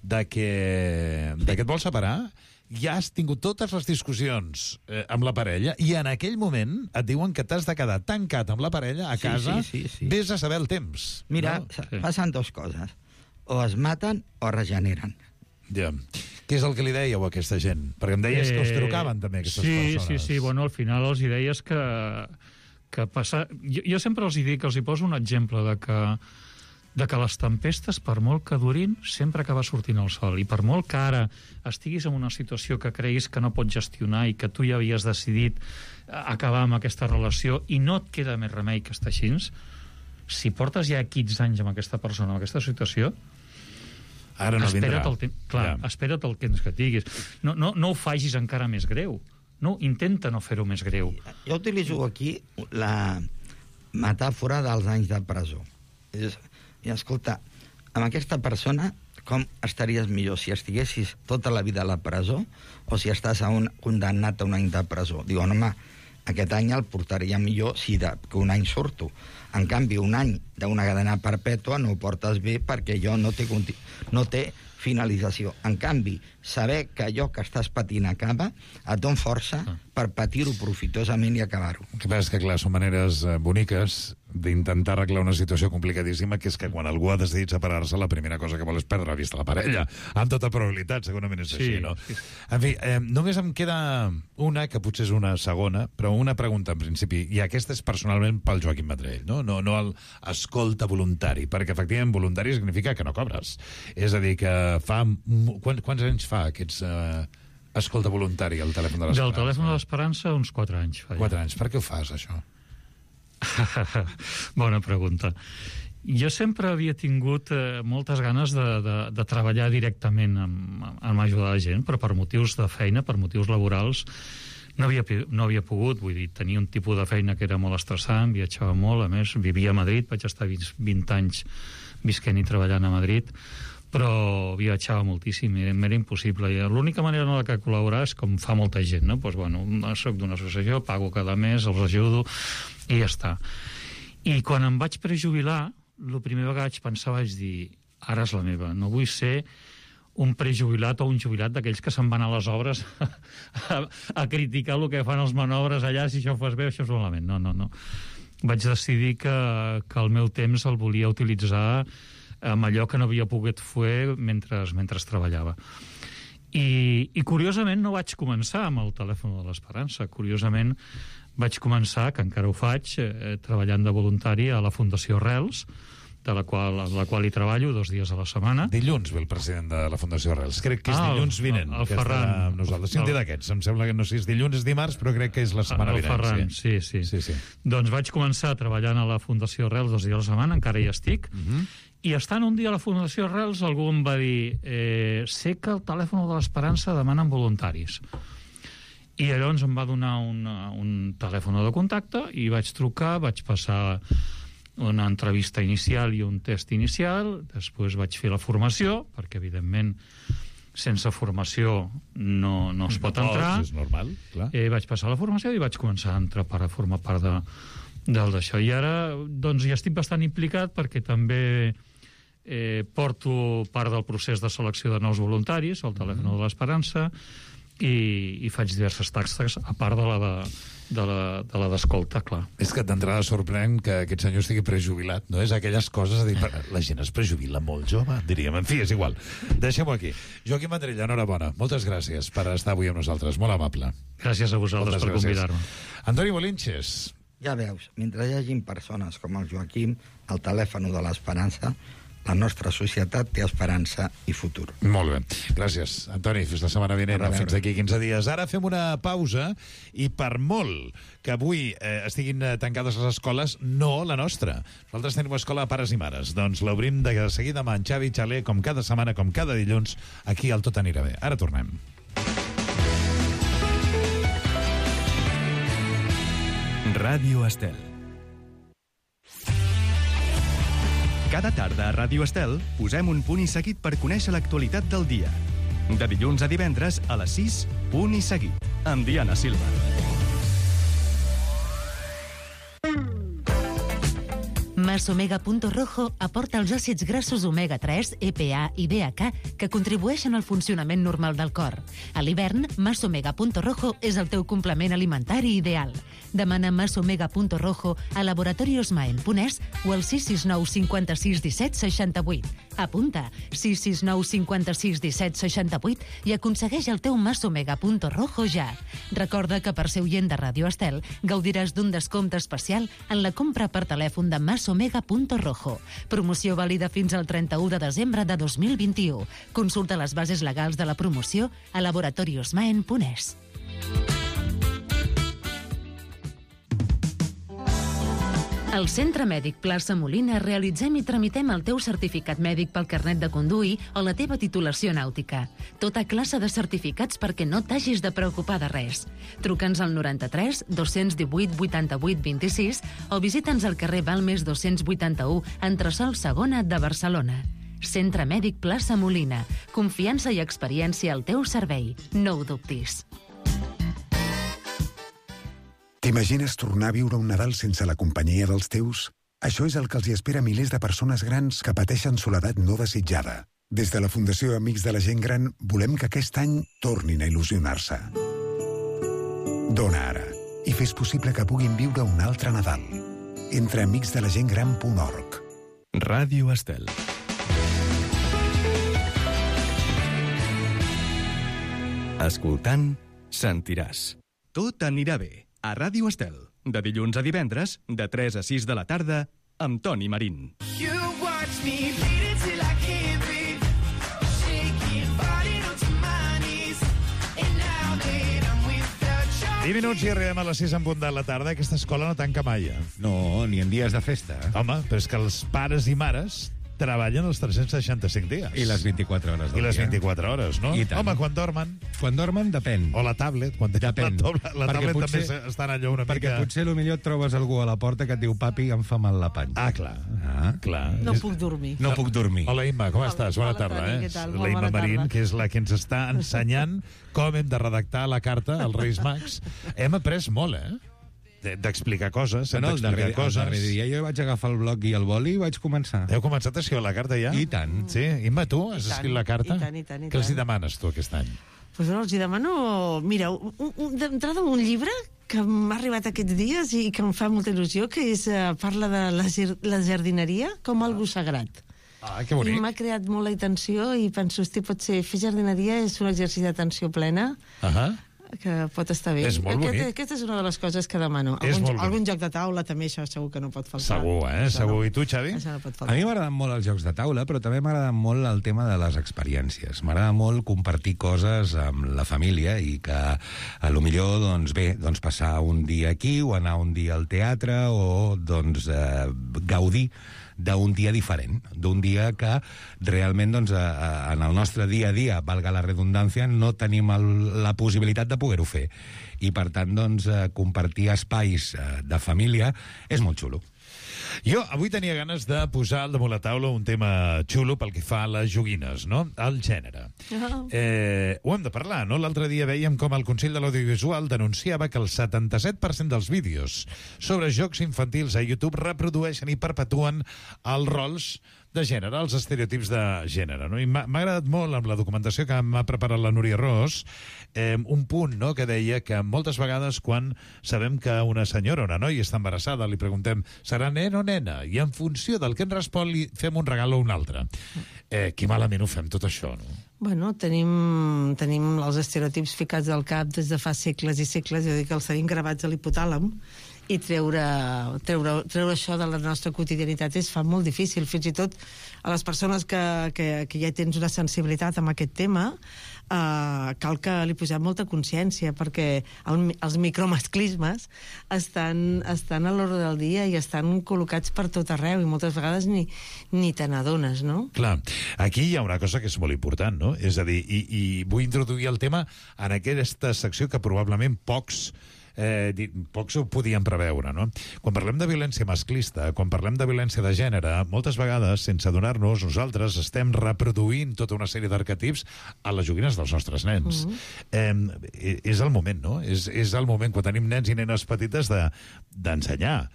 de que et vols separar, ja has tingut totes les discussions amb la parella i en aquell moment et diuen que t'has de quedar tancat amb la parella a casa, vés a saber el temps. Mira, passen dues coses: o es maten o regeneren. Ja. Què és el que li dèieu a aquesta gent? Perquè em deies que us trucaven també aquestes persones. Sí. Bueno, al final els hi deies que passa... Jo sempre els hi dic, els hi poso un exemple de que les tempestes, per molt que durin, sempre acaba sortint el sol. I per molt que ara estiguis en una situació que creguis que no pots gestionar i que tu ja havies decidit acabar amb aquesta relació i no et queda més remei que estar així, si portes ja 15 anys amb aquesta persona, amb aquesta situació, ara no vindrà. Espera't el temps que tinguis. No ho facis encara més greu. No, intenta no fer-ho més greu. Jo utilitzo aquí la metàfora dels anys de presó. I escolta, amb aquesta persona com estaries millor, si estiguessis tota la vida a la presó o si estàs condemnat a un any de presó? Diu, home, aquest any el portaria millor si que un any surto. En canvi, un any d'una cadena perpètua no ho portes bé perquè allò no té finalització. En canvi, saber que allò que estàs patint acaba et dona força per patir-ho profitosament i acabar-ho. El que passa és que, clar, són maneres boniques d'intentar arreglar una situació complicadíssima, que és que quan algú ha decidit separar-se, la primera cosa que vol és perdre la vista a la parella. Amb tota probabilitat, segurament és així, no? Sí. En fi, només em queda una, que potser és una segona, però una pregunta en principi, i aquesta és personalment pel Joaquim Vendrell, no el escolta voluntari, perquè efectivament voluntari significa que no cobres. És a dir, que fa... Quants anys fa aquests... escolta voluntari al telèfon de l'Esperança? Del telèfon de l'Esperança, uns 4 anys. 4 anys. Per què ho fas, això? Bona pregunta. Jo sempre havia tingut moltes ganes de treballar directament amb ajudar la gent, però per motius de feina, per motius laborals, No havia pogut, vull dir, tenia un tipus de feina que era molt estressant, viatjava molt, a més, vivia a Madrid, vaig estar 20 anys visquent i treballant a Madrid, però viatjava moltíssim, m'era impossible. I l'única manera en la que col·laborar és com fa molta gent, no? Doncs, bueno, soc d'una associació, pago cada mes, els ajudo, i ja està. I quan em vaig prejubilar, el primer que vaig pensar vaig dir, ara és la meva, no vull ser un prejubilat o un jubilat d'aquells que se'n van a les obres a criticar el que fan els manobres allà, si això ho fas bé o això és malament. No. Vaig decidir que el meu temps el volia utilitzar amb allò que no havia pogut fer mentre treballava. I curiosament no vaig començar amb el telèfon de l'Esperança. Curiosament vaig començar, que encara ho faig, treballant de voluntari a la Fundació Arrels, a la qual hi treballo 2 dies a la setmana. Dilluns ve el president de la Fundació Arrels. Crec que és dilluns vinent. El Ferran. Nosaltres. Sí, un dia d'aquests. Em sembla que no sé si és dilluns, és dimarts, però crec que és la setmana vinent. El Ferran, sí. Doncs vaig començar treballant a la Fundació Arrels 2 dies a la setmana, encara hi estic, i estant un dia a la Fundació Arrels algú em va dir sé que el telèfon de l'Esperança demanen voluntaris. I llavors em va donar un telèfon de contacte i vaig trucar, vaig passar una entrevista inicial i un test inicial, després vaig fer la formació, perquè evidentment sense formació no es pot entrar. És normal, clar. Vaig passar la formació i vaig començar a entrar a formar part d'això. I ara doncs ja estic bastant implicat perquè també porto part del procés de selecció de nous voluntaris, el telèfon de l'Esperança, i faig diverses tasques, a part de la d'escolta, clar. És que d'entrada sorprèn que aquest senyor estigui prejubilat, no? És aquelles coses de dir, la gent es prejubila molt jove, diríem. En fi, és igual. Deixem-ho aquí. Joaquim Vendrell, enhorabona. Moltes gràcies per estar avui amb nosaltres. Molt amable. Gràcies a vosaltres per convidar-me. Antoni Bolinches. Ja veus, mentre hi hagin persones com el Joaquim, el telèfon de l'Esperança, la nostra societat té esperança i futur. Molt bé. Gràcies, Antoni. Fins la setmana vinent. Fins d'aquí 15 dies. Ara fem una pausa i per molt que avui estiguin tancades les escoles, no la nostra. Nosaltres tenim escola de pares i mares. Doncs l'obrim de seguida amb en Xavi Xaler, com cada setmana, com cada dilluns, aquí al Tot Anirà Bé. Ara tornem. Ràdio Estel. Cada tarda a Ràdio Estel posem un punt i seguit per conèixer l'actualitat del dia. De dilluns a divendres a les 6, punt i seguit, amb Diana Silva. Masomega.rojo aporta els àcids grassos omega-3, EPA i DHA que contribueixen al funcionament normal del cor. A l'hivern, Masomega.rojo és el teu complement alimentari ideal. Demana Masomega.rojo a Laboratorios Maen Ponès o al 669 56 17 68. Apunta 669 56 17 68 i aconsegueix el teu Masomega.rojo ja. Recorda que per ser oient de Ràdio Estel gaudiràs d'un descompte especial en la compra per telèfon de Masomega.rojo. Promoció vàlida fins al 31 de desembre de 2021. Consulta les bases legals de la promoció a Laboratorios Maen Ponès. Al Centre Mèdic Plaça Molina realitzem i tramitem el teu certificat mèdic pel carnet de conduir o la teva titulació nàutica. Tota classe de certificats perquè no t'hagis de preocupar de res. Truca'ns al 93 218 88 26 o visita'ns al carrer Balmes 281, entresòl segona de Barcelona. Centre Mèdic Plaça Molina. Confiança i experiència al teu servei. No ho dubtis. T'imagines tornar a viure un Nadal sense la companyia dels teus? Això és el que els hi espera a milers de persones grans que pateixen soledat no desitjada. Des de la Fundació Amics de la Gent Gran volem que aquest any tornin a il·lusionar-se. Dona ara i fes possible que puguin viure un altre Nadal. Entra a amicsdelagentgran.org. Ràdio Estel. Escoltant, sentiràs. Tot anirà bé. A Ràdio Estel, de dilluns a divendres, de 3 a 6 de la tarda, amb Toni Marín. 10 minuts i arribem a les 6 en punt de la tarda. Aquesta escola no tanca mai. No, ni en dies de festa. Home, però és que els pares i mares treballen els 365 dies. I les 24 hores del I les dia. 24 hores, no? I tant. Home, quan dormen... Quan dormen, depèn. O la tablet, quan tenen Depèn. la tablet potser, també està en allò una perquè mica... potser millor et trobes algú a la porta que et diu papi, em fa mal la panxa. Ah, clar. clar. No puc dormir. No puc dormir. Hola, Imma, com estàs? Bona tarda. Què tal? La Molt Imma bona Marín, tarda. que és la que ens està ensenyant com hem de redactar la carta als Reis Mags. Hem après molt, d'explicar coses, hem d'explicar coses. El darrer dia jo vaig agafar el bloc i el boli i vaig començar. Heu començat a escriure la carta ja? I tant. Sí? Imma, tu has escrit la carta? I tant. Què els hi demanes tu aquest any? Pues no, els hi demano... Mira, d'entrada un llibre que m'ha arribat aquests dies i que em fa molta il·lusió, que és, parla de la jardineria com algo sagrat. Ah, que bonic. I m'ha creat molt l'atenció i penso, hosti, potser fer jardineria és un exercici d'atenció plena, que pot estar bé. És molt bonic. Aquesta és una de les coses que demano. És molt bonic. Algun joc de taula, també, això segur que no pot faltar. Segur, segur. I tu, Xavi? Això no pot A faltar. mi m'agraden molt els jocs de taula, però també m'agrada molt el tema de les experiències. M'agrada molt compartir coses amb la família i que, a lo millor, doncs bé, doncs passar un dia aquí o anar un dia al teatre o doncs gaudir d'un dia diferent, d'un dia que realment doncs, en el nostre dia a dia, valga la redundància, no tenim la possibilitat de poder-ho fer. I, per tant, doncs, compartir espais de família és molt xulo. Jo avui tenia ganes de posar al damunt la taula un tema xulo pel que fa a les joguines, no? El gènere. Ho hem de parlar, no? L'altre dia veiem com el Consell de l'Audiovisual denunciava que el 77% dels vídeos sobre jocs infantils a YouTube reprodueixen i perpetuen els rols de gènere, els estereotips de gènere, no? I m'ha agradat molt, amb la documentació que m'ha preparat la Núria Ros, un punt, no?, que deia que moltes vegades quan sabem que una senyora o una noia està embarassada, li preguntem, serà nen o nena? I en funció del que ens respon li fem un regal o un altre. Que malament ho fem tot això, no? Bueno, tenim els estereotips ficats al cap des de fa segles i segles, jo dic que els tenim gravats a l'hipotàlem, i treure això de la nostra quotidianitat es fa molt difícil, fins i tot a les persones que ja tens una sensibilitat amb aquest tema, cal que li posem molta consciència, perquè els micromasclismes estan a l'ordre del dia i estan col·locats per tot arreu i moltes vegades ni te n'adones, no? Clar, aquí hi ha una cosa que és molt important, no? És a dir, i vull introduir el tema en aquesta secció que probablement pocs ho podien preveure, no? Quan parlem de violència masclista, quan parlem de violència de gènere, moltes vegades, sense adonar-nos, nosaltres estem reproduint tota una sèrie d'arquetips a les joguines dels nostres nens. És el moment, no? És el moment, quan tenim nens i nenes petites, d'ensenyar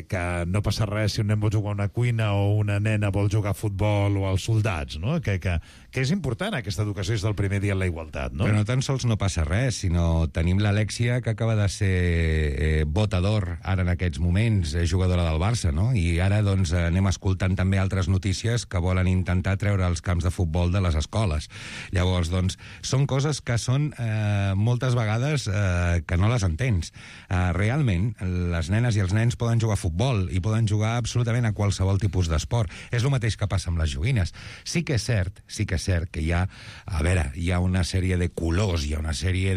que no passa res si un nen vol jugar a una cuina o una nena vol jugar a futbol o als soldats, no? Que és important aquesta educació des del primer dia en la igualtat, no? Però no tan sols no passa res, sinó tenim l'Alexia, que acaba de ser votador ara en aquests moments, jugadora del Barça, no? I ara doncs anem escoltant també altres notícies que volen intentar treure els camps de futbol de les escoles. Llavors, doncs, són coses que són moltes vegades que no les entens. Realment, les nenes i els nens poden jugar a futbol i poden jugar absolutament a qualsevol tipus d'esport. És el mateix que passa amb les joguines. Sí que és cert que hi ha, a veure, hi ha una sèrie de colors, hi ha una sèrie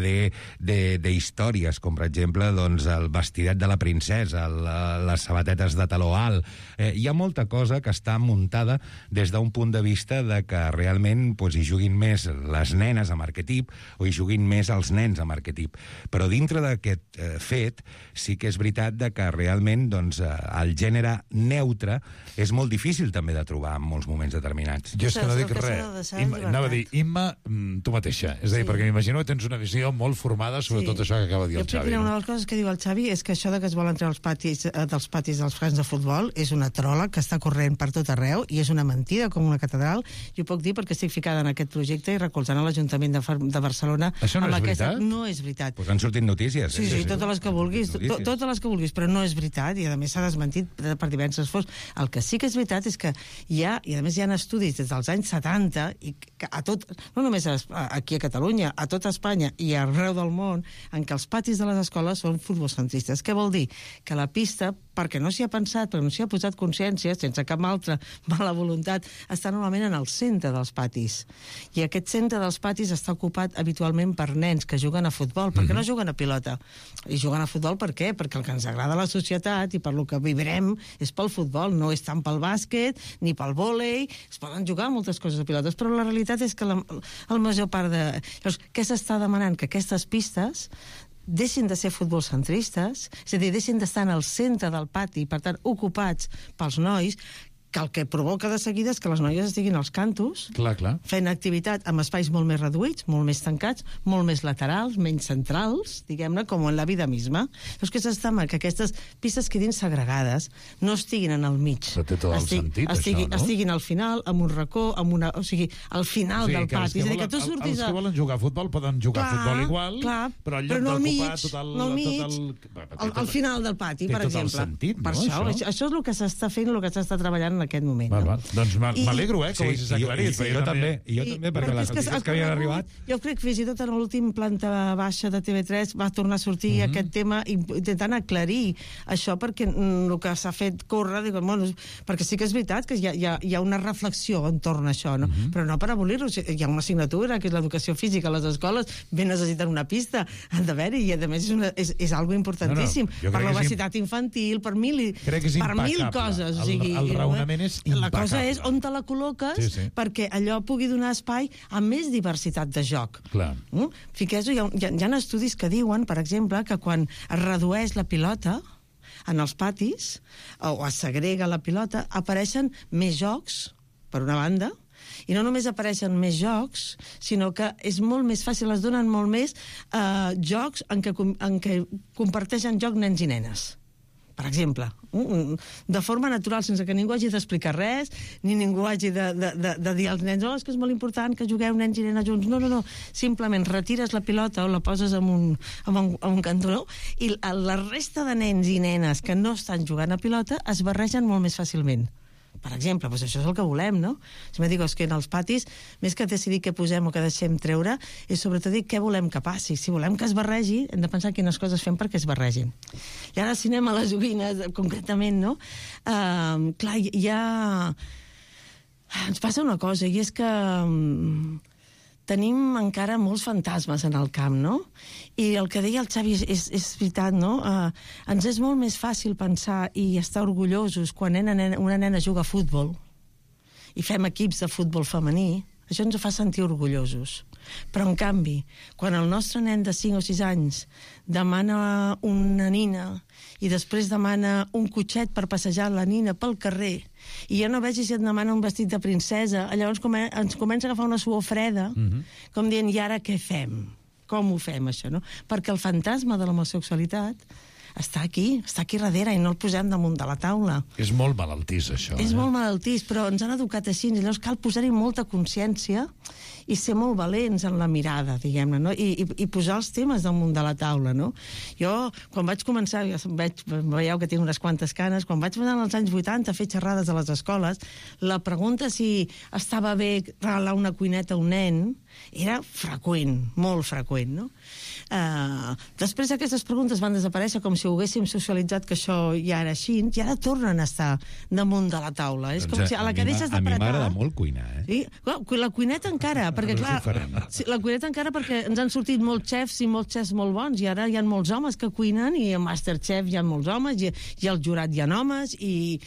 d'històries, com per exemple, doncs, el vestidet de la princesa, les sabatetes de taló alt. Hi ha molta cosa que està muntada des d'un punt de vista de que realment doncs, hi juguin més les nenes amb arquetip o hi juguin més els nens amb arquetip. Però dintre d'aquest fet, sí que és veritat de que realment doncs, el gènere neutre és molt difícil també de trobar en molts moments determinats. Jo és que no dic res. Anava a dir, Imma, tu mateixa. És a dir, perquè m'imagino que tens una visió molt formada sobre tot això que acaba de dir el Xavi. Una de les coses que diu el Xavi és que això de que es volen treure els patis dels camps de futbol és una trola que està corrent per tot arreu i és una mentida com una catedral. Jo puc dir perquè estic ficada en aquest projecte i recolzant a l'Ajuntament de Barcelona. Això no és veritat? No és veritat. Pues han sortit notícies. Sí, totes les que vulguis, totes les que vulguis, però no és veritat i a més s'ha desmentit per diverses fonts. El que sí que és veritat és que hi ha, i a més hi ha estudis des dels anys 70 i que no només aquí a Catalunya, a tota Espanya i arreu del món, en què els patis de les escoles són futbolcentristes. Què vol dir? Que la pista, perquè no s'hi ha pensat, perquè no s'hi ha posat consciència, sense cap altra mala voluntat, està normalment en el centre dels patis. I aquest centre dels patis està ocupat habitualment per nens que juguen a futbol, perquè no juguen a pilota. I juguen a futbol per què? Perquè el que ens agrada a la societat i per lo que vivrem és pel futbol, no és tant pel bàsquet ni pel vòlei, es poden jugar moltes coses a pilotes, però la realitat és que la major part de... Llavors, què s'està demanant? Que aquestes pistes deixin de ser futbolcentristes, és a dir, deixin d'estar en el centre del pati, per tant, ocupats pels nois, que el que provoca de seguida és que les noies estiguin als cantos, fent activitat amb espais molt més reduïts, molt més tancats, molt més laterals, menys centrals, diguem-ne, com en la vida misma. Llavors, què s'està que aquestes pistes quedin segregades, no estiguin en el mig. Però té tot el sentit, això, no? Estiguin al final, amb un racó, o sigui, al final del pati. És a dir, que tu surtis... Els que volen jugar a futbol poden jugar a futbol igual, però al lloc d'ocupar tot el... Al final del pati, per exemple. Té tot el sentit, no? Per això és el que s'està fent, el que s'està treballant en aquest moment. Doncs m'alegro, que ho hagis aclarit. Jo també, perquè les notícies que havien arribat... Jo crec que fins i tot en l'últim planta baixa de TV3 va tornar a sortir aquest tema intentant aclarir això, perquè el que s'ha fet córrer, perquè sí que és veritat que hi ha una reflexió entorn a això, no? Però no per abolir-ho. Hi ha una assignatura, que és l'educació física a les escoles, ben necessiten una pista, han d'haver-hi, i a més és algo importantíssim per l'obesitat infantil, per mil coses. El raonament és impecable. La cosa és on te la col·loques perquè allò pugui donar espai a més diversitat de joc. Fiqueu-vos, hi ha estudis que diuen, per exemple, que quan es redueix la pilota en els patis, o es segrega la pilota, apareixen més jocs, per una banda, i no només apareixen més jocs, sinó que és molt més fàcil, es donen molt més jocs en què comparteixen joc nens i nenes. Per exemple, de forma natural, sense que ningú hagi d'explicar res, ni ningú hagi de dir als nens, és que és molt important que jugueu nens i nenes junts. No. Simplement retires la pilota o la poses en un cantonó i la resta de nens i nenes que no estan jugant a pilota es barregen molt més fàcilment. Per exemple, doncs això és el que volem, no? Si me dic, és que en els patis, més que decidir què posem o què deixem treure, és sobretot dir què volem que passi. Si volem que es barregi, hem de pensar quines coses fem perquè es barregin. I ara, si anem a les joguines, concretament, no? Clar, ens passa una cosa, i és que tenim encara molts fantasmes en el camp, no? I el que deia el Xavi és veritat, no? Ens és molt més fàcil pensar i estar orgullosos quan una nena juga a futbol i fem equips de futbol femení. Això ens fa sentir orgullosos. Però, en canvi, quan el nostre nen de 5 o 6 anys demana una nina i després demana un cotxet per passejar la nina pel carrer i jo no veig si et demana un vestit de princesa, llavors ens comença a agafar una suor freda, com dient, i ara què fem? Com ho fem, això, no? Perquè el fantasma de l'homosexualitat està aquí darrere, i no el posem damunt de la taula. És molt malaltís, això. És molt malaltís, però ens han educat així, i llavors cal posar-hi molta consciència i ser molt valents en la mirada, diguem-ne, no? I posar els temes damunt de la taula, no? Jo, quan vaig començar, veieu que tinc unes quantes canes, quan vaig anar als anys 80 a fer xerrades a les escoles, la pregunta si estava bé regalar una cuineta a un nen era freqüent, molt freqüent, no? Després aquestes preguntes van desaparèixer com si ho haguéssim socialitzat que això ja era així, i ara tornen a estar damunt de la taula. És com si a la que deixes d'apretar... A mi m'agrada molt cuinar, La cuineta encara, perquè clar... La cuineta encara perquè ens han sortit molts xefs i molts xefs molt bons, i ara hi ha molts homes que cuinen, i a Masterchef hi ha molts homes, i al jurat hi ha homes, i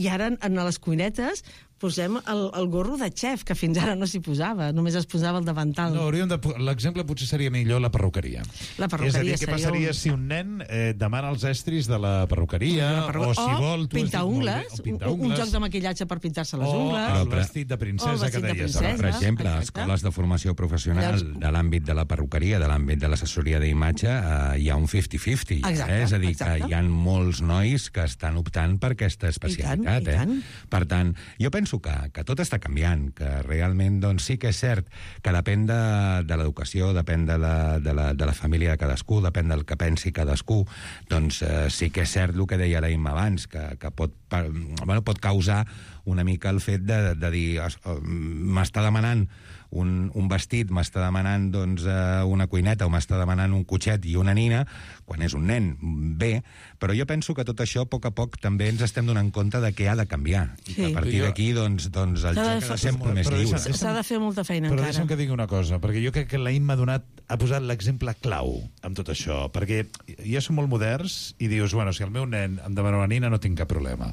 ara en les cuinetes posem el gorro de xef, que fins ara no s'hi posava, només es posava el davantal. No, l'exemple potser seria millor la perruqueria. La perruqueria és a dir, què passaria si un nen demana els estris de la perruqueria, o si vol... pintar ungles, un joc de maquillatge per pintar-se les ungles. O el vestit de princesa que deies. Per exemple, a escoles de formació professional de l'àmbit de la perruqueria, de l'àmbit de l'assessoria d'imatge, hi ha un 50-50. És a dir, que hi ha molts nois que estan optant per aquesta especialitat. Per tant, jo penso que tot està canviant, que realment doncs, sí que és cert que depèn de l'educació, depèn de la família de cadascú, depèn del que pensi cadascú, doncs sí que és cert el que deia l'Aim abans, que pot causar una mica el fet de dir m'està demanant un vestit, m'està demanant doncs, una cuineta o m'està demanant un cotxet i una nina, quan és un nen, bé, però jo penso que tot això a poc també ens estem donant compte de què ha de canviar. I que a partir d'aquí doncs, el joc ha de ser molt més lliure. S'ha de fer molta feina però encara. deixa'm que digui una cosa, perquè jo crec que la Imma ha posat l'exemple clau amb tot això, perquè ja som molt moderns i dius, bueno, si el meu nen em demana una nina no tinc cap problema.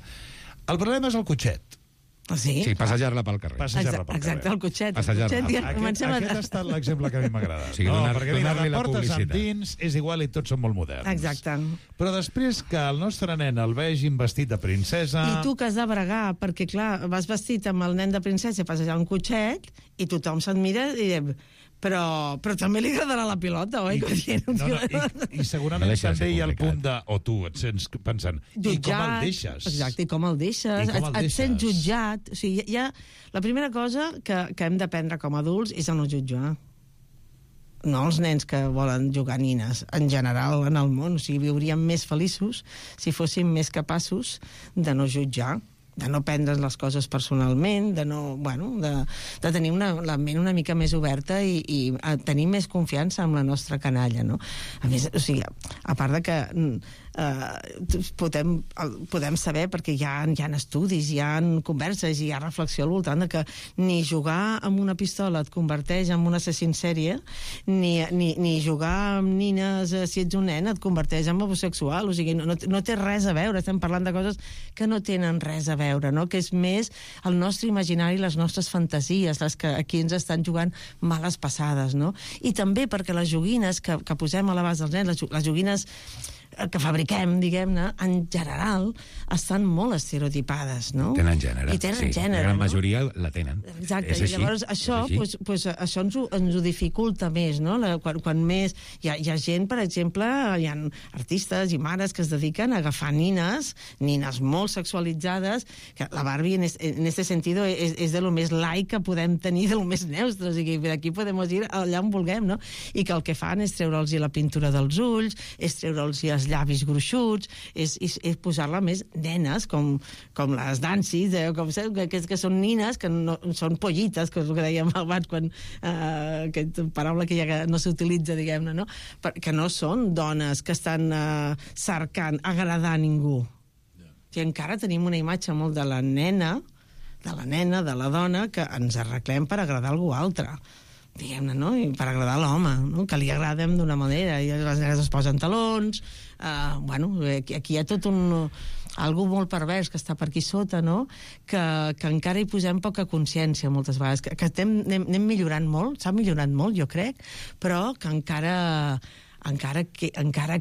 El problema és el cotxet. Sí? Sí, passejar-la pel carrer. Exacte, el cotxet. Aquest ha estat l'exemple que a mi m'ha agradat. Sí, perquè mira, donar-li la la portes publicitat. endins, és igual i tots són molt moderns. Exacte. Però després que el nostre nen el vegin vestit de princesa... I tu que has de bregar, perquè clar, vas vestit amb el nen de princesa a passejar un cotxet i tothom se't mira i diu, però també li agradarà la pilota, oi? I segurament també hi ha el punt de... O tu et sents pensant, i com el deixes? Exacte, i com el deixes? Et sents jutjat. O sigui, la primera cosa que hem d'aprendre com a adults és a no jutjar. No els nens que volen jugar nines, en general, en el món. O sigui, viuríem més feliços si fóssim més capaços de no jutjar, de no prendre les coses personalment, de tenir la ment una mica més oberta i tenir més confiança en la nostra canalla, no? A més, o sigui, a part de que podem saber, perquè hi ha estudis, hi ha converses, hi ha reflexió al voltant de que ni jugar amb una pistola et converteix en un assassí en sèrie, ni jugar amb nines, si ets un nen, et converteix en homosexual. O sigui, no té res a veure. Estem parlant de coses que no tenen res a veure, no? Que és més el nostre imaginari, les nostres fantasies, les que aquí ens estan jugant males passades, no? I també perquè les joguines que posem a l'abast dels nens, les joguines que fabriquem, diguem-ne, en general, estan molt estereotipades, no? Tenen gènere. I tenen gènere, la gran no? majoria la tenen. Exacte, i llavors això ens ho dificulta més, no? Quan més... Hi ha gent, per exemple, hi ha artistes i mares que es dediquen a agafar nines molt sexualitzades, que la Barbie en este sentido és de lo més laic que podem tenir, de lo més neutre, o sigui, d'aquí podem ir allà on vulguem, no? I que el que fan és treure'ls la pintura dels ulls, és treure'ls els llavis gruixuts, és posar-la més nenes, com les dansis, que són nines, que no, són pollites, que és el que dèiem abans, aquesta paraula que ja no s'utilitza, diguem-ne, no? Que no són dones que estan cercant agradar a ningú. I encara tenim una imatge molt de la nena, de la dona, que ens arreglem per agradar a algú altre, diguem-ne, no? I per agradar a l'home, no? Que li agradem d'una manera, i les nenes es posen talons, aquí hi ha tot algú molt pervers que està per aquí sota, no? Que encara hi posem poca consciència moltes vegades, que anem millorant molt, s'ha millorat molt, jo crec, però que encara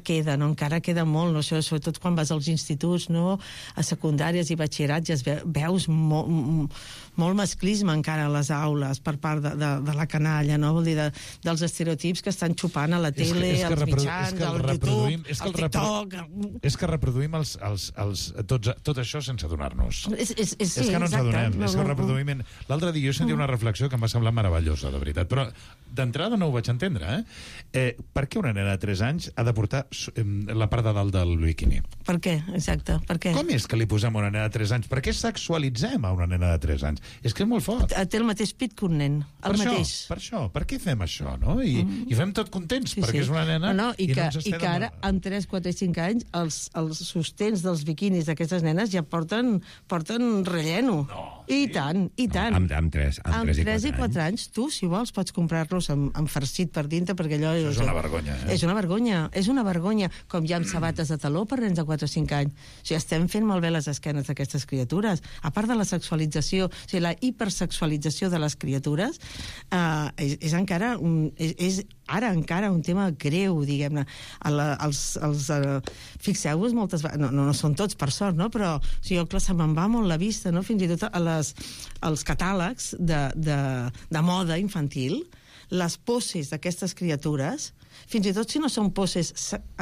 queda, no? Encara queda molt, no? Sobretot quan vas als instituts, no? A secundàries i batxillerats, ja veus molt masclisme encara a les aules per part de la canalla, no? Vol dir, dels estereotips que estan xupant a la tele, als mitjans, al YouTube, al TikTok... És que reproduïm tot això sense adonar-nos. És que no ens adonem, és que ho reproduïm... L'altre dia jo sentia una reflexió que em va semblar meravellosa, de veritat, però d'entrada no ho vaig entendre, per què una nena de 3 anys ha de portar la part de dalt del bikini? Per què? Exacte, per què? Com és que li posem a una nena de 3 anys? Per què sexualitzem a una nena de 3 anys? És que és molt fort. Té el mateix pit que un nen, el mateix. Per això, per què fem això, no? I fem tot contents, perquè és una nena i que ara, amb 3, 4 i 5 anys, els sostens dels biquinis d'aquestes nenes ja porten relleno. I tant. Amb 3 i 4 anys, tu, si vols, pots comprar-los amb farcit per dintre, perquè allò... Això és una vergonya, És una vergonya, com hi ha amb sabates de taló per nens de 4 o 5 anys. O sigui, estem fent malbé les esquenes d'aquestes criatures. A part de la sexualització, o sigui, la hipersexualització de les criatures, és ara encara un tema greu, diguem-ne. Fixeu-vos moltes vegades, no són tots per sort, no? Però se me'n va molt la vista, no? Fins i tot als catàlegs de moda infantil, les poses d'aquestes criatures, fins i tot si no són poses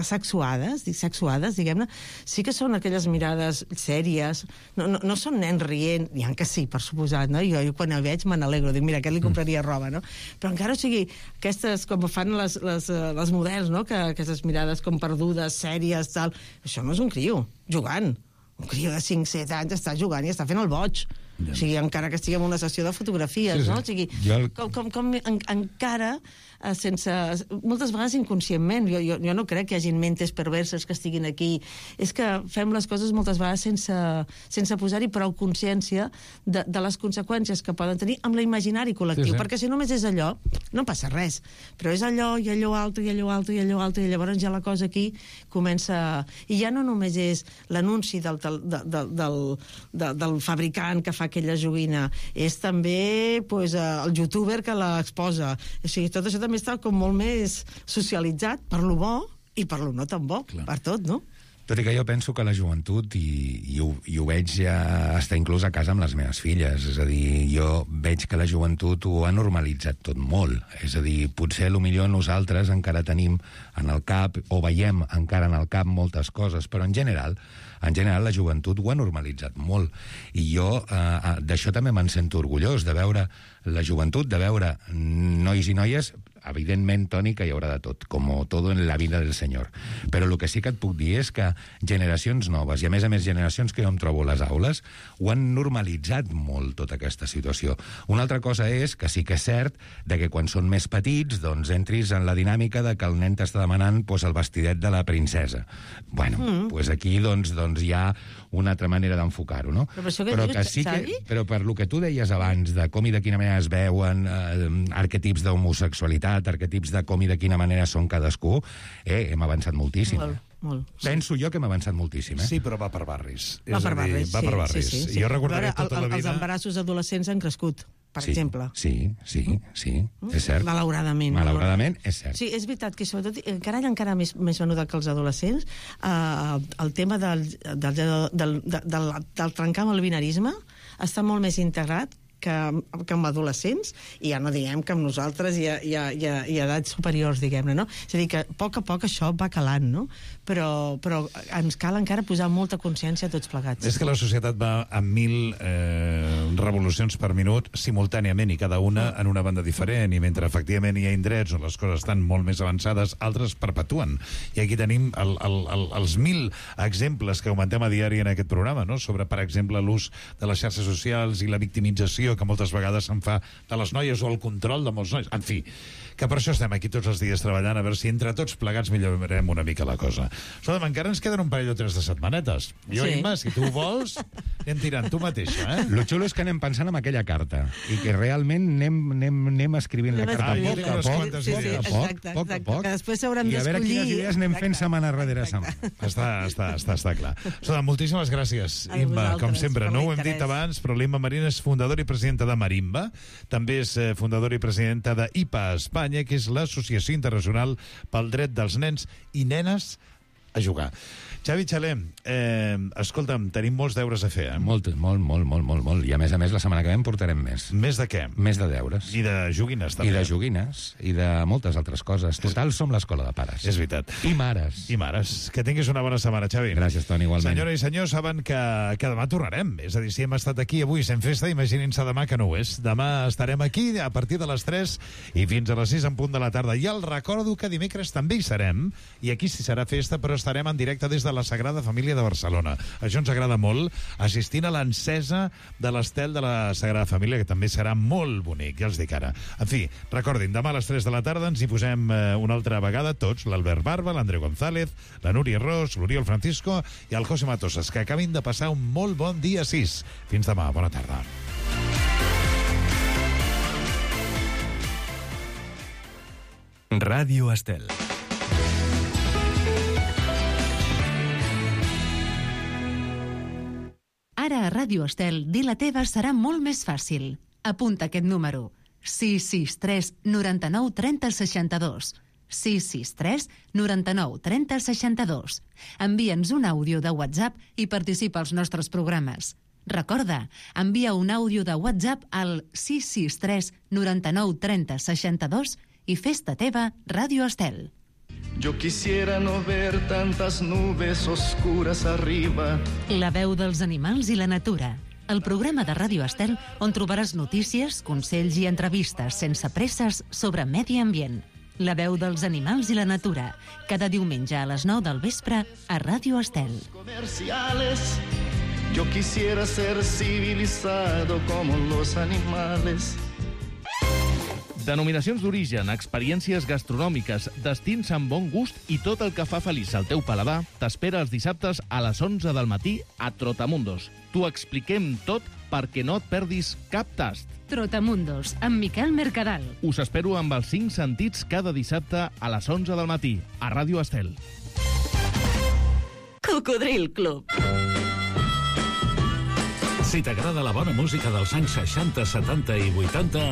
sexuades, diguem-ne, sí que són aquelles mirades sèries, no són nens rient, n'hi ha que sí, per suposat, no? Jo quan el veig me n'alegro, dic, mira, aquest li compraria roba, no? Però encara, o sigui, aquestes, com fan les models, no? Que aquestes mirades com perdudes, sèries, tal, això no és un criu, jugant. Un criu de 5-7 anys està jugant i està fent el boig. O sigui, encara que estiguem en una sessió de fotografies, no? O sigui, com encara sense... Moltes vegades inconscientment. Jo no crec que hi hagi mentes perverses que estiguin aquí. És que fem les coses moltes vegades sense posar-hi prou consciència de les conseqüències que poden tenir amb l'imaginari col·lectiu. Perquè si només és allò, no passa res. Però és allò, i allò altre, i allò altre, i allò altre, i llavors ja la cosa aquí comença... I ja no només és l'anunci del fabricant que fa aquella joguina, és també el youtuber que l'exposa. O sigui, tot això també està com molt més socialitzat per lo bo i per lo no tan bo, per tot, no? Tot i que jo penso que la joventut, i ho veig ja està inclús a casa amb les meves filles, és a dir, jo veig que la joventut ho ha normalitzat tot molt. És a dir, potser millor nosaltres encara tenim en el cap, o veiem encara en el cap moltes coses, però en general la joventut ho ha normalitzat molt. I jo d'això també me'n sento orgullós, de veure la joventut, de veure nois i noies. Evidentment, Toni, que hi haurà de tot, com tot en la vida del senyor. Però el que sí que et puc dir és que generacions noves, i a més generacions que jo em trobo a les aules, ho han normalitzat molt, tota aquesta situació. Una altra cosa és que sí que és cert de que quan són més petits, doncs entris en la dinàmica de que el nen t'està demanant el vestidet de la princesa. Bueno, doncs aquí doncs hi ha una altra manera d'enfocar-ho, no? Però que sí que, però per lo que tu deies abans, de com i de quina manera es veuen arquetips d'homosexualitat, arquetips de com i de quina manera són cadascú, hem avançat moltíssim. Molt. Penso jo que hem avançat moltíssim. Sí, però va per barris. Va per barris, sí. Jo recordaré tota la vida... Els embarassos adolescents han crescut, per exemple. Sí, és cert. Malauradament. Malauradament, és cert. Sí, és veritat que sobretot, encara més venuda que els adolescents, el tema del trencar amb el binarisme està molt més integrat que amb adolescents, i ja no diguem que amb nosaltres i edats superiors, diguem-ne, no? És a dir, que a poc això va calant, no? Però ens cal encara posar molta consciència a tots plegats. És que la societat va a 1000 revolucions per minut simultàniament, i cada una en una banda diferent, i mentre efectivament hi ha indrets on les coses estan molt més avançades, altres perpetuen. I aquí tenim els 1000 exemples que comentem a diari en aquest programa, no? Sobre, per exemple, l'ús de les xarxes socials i la victimització que moltes vegades se'n fa de les noies, o el control de molts nois. En fi, que per això estem aquí tots els dies treballant, a veure si entre tots plegats millorem una mica la cosa. Escolta'm, encara ens queden un parell o 3 de setmanetes. Jo, Imma, si tu vols, anem tirant tu mateixa, Lo xulo és que anem pensant en aquella carta, i que realment anem escrivint la carta a poc a poc, que després s'hauran d'escollir. I a veure quines idees anem fent setmana rere setmana. Està clar. Escolta, moltíssimes gràcies, Imma, com sempre. No ho hem dit abans, però l'Imma Marín és fundadora i presidenta de Marimba, també és fundadora i presidenta de IPA Espanya, que és l'Associació Internacional pel Dret dels Nens i Nenes a Jugar. Xavi Xalem, escolta'm, tenim molts deures a fer, Molt. I a més, la setmana que ve en portarem més. Més de què? Més de deures. I de joguines, també. I de joguines, i de moltes altres coses. Total, som l'escola de pares. És veritat. I mares. Que tinguis una bona setmana, Xavi. Gràcies, Toni, igualment. Senyora i senyors, saben que demà tornarem. És a dir, si hem estat aquí avui sent festa, imaginin-se demà que no ho és. Demà estarem aquí a partir de les 3 i fins a les 6 en punt de la tarda. I el recordo que dimecres també hi serem, i aquí sí serà festa, però estarem en directe des de la Sagrada Família de Barcelona. Això ens agrada molt, assistint a l'encesa de l'estel de la Sagrada Família, que també serà molt bonic, ja els dic ara. En fi, recordin, demà a les 3 de la tarda ens hi posem una altra vegada tots, l'Albert Barba, l'Andreu González, la Núria Ros, l'Oriol Francisco i el José Matosas, que acabin de passar un molt bon dia 6. Fins demà, bona tarda. Ràdio Estel. Ara a Ràdio Estel, dir la teva serà molt més fàcil. Apunta aquest número: 663 99 30 62. 663 99 30 62. Envia'ns un àudio de WhatsApp i participa als nostres programes. Recorda, envia un àudio de WhatsApp al 663 99 30 62 i fes-te teva Ràdio Estel. Yo quisiera no ver tantas nubes oscuras arriba. La veu dels animals i la natura. El programa de Ràdio Estel on trobaràs notícies, consells i entrevistes sense presses sobre medi ambient. La veu dels animals i la natura. Cada diumenge a les 9 del vespre a Ràdio Estel. Comerciales Yo quisiera ser civilizado como los animales. Denominacions d'origen, experiències gastronòmiques, destins amb bon gust i tot el que fa feliç al teu paladar t'espera els dissabtes a les 11 del matí a Trotamundos. T'ho expliquem tot perquè no et perdis cap tast. Trotamundos, amb Miquel Mercadal. Us espero amb els 5 sentits cada dissabte a les 11 del matí a Ràdio Estel. Cocodril Club. Si t'agrada la bona música dels anys 60, 70 i 80...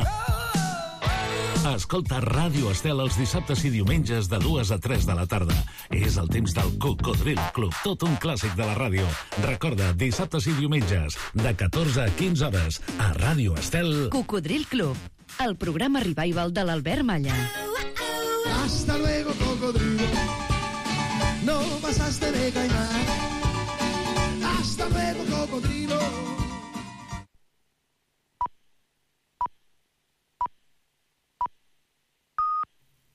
Escolta Ràdio Estel els dissabtes i diumenges de 2 a 3 de la tarda. És el temps del Cocodril Club, tot un clàssic de la ràdio. Recorda, dissabtes i diumenges, de 14 a 15 hores, a Ràdio Estel. Cocodril Club, el programa revival de l'Albert Malla. Hasta luego, cocodrilo. No pasaste de caimán. Hasta luego, cocodrilo.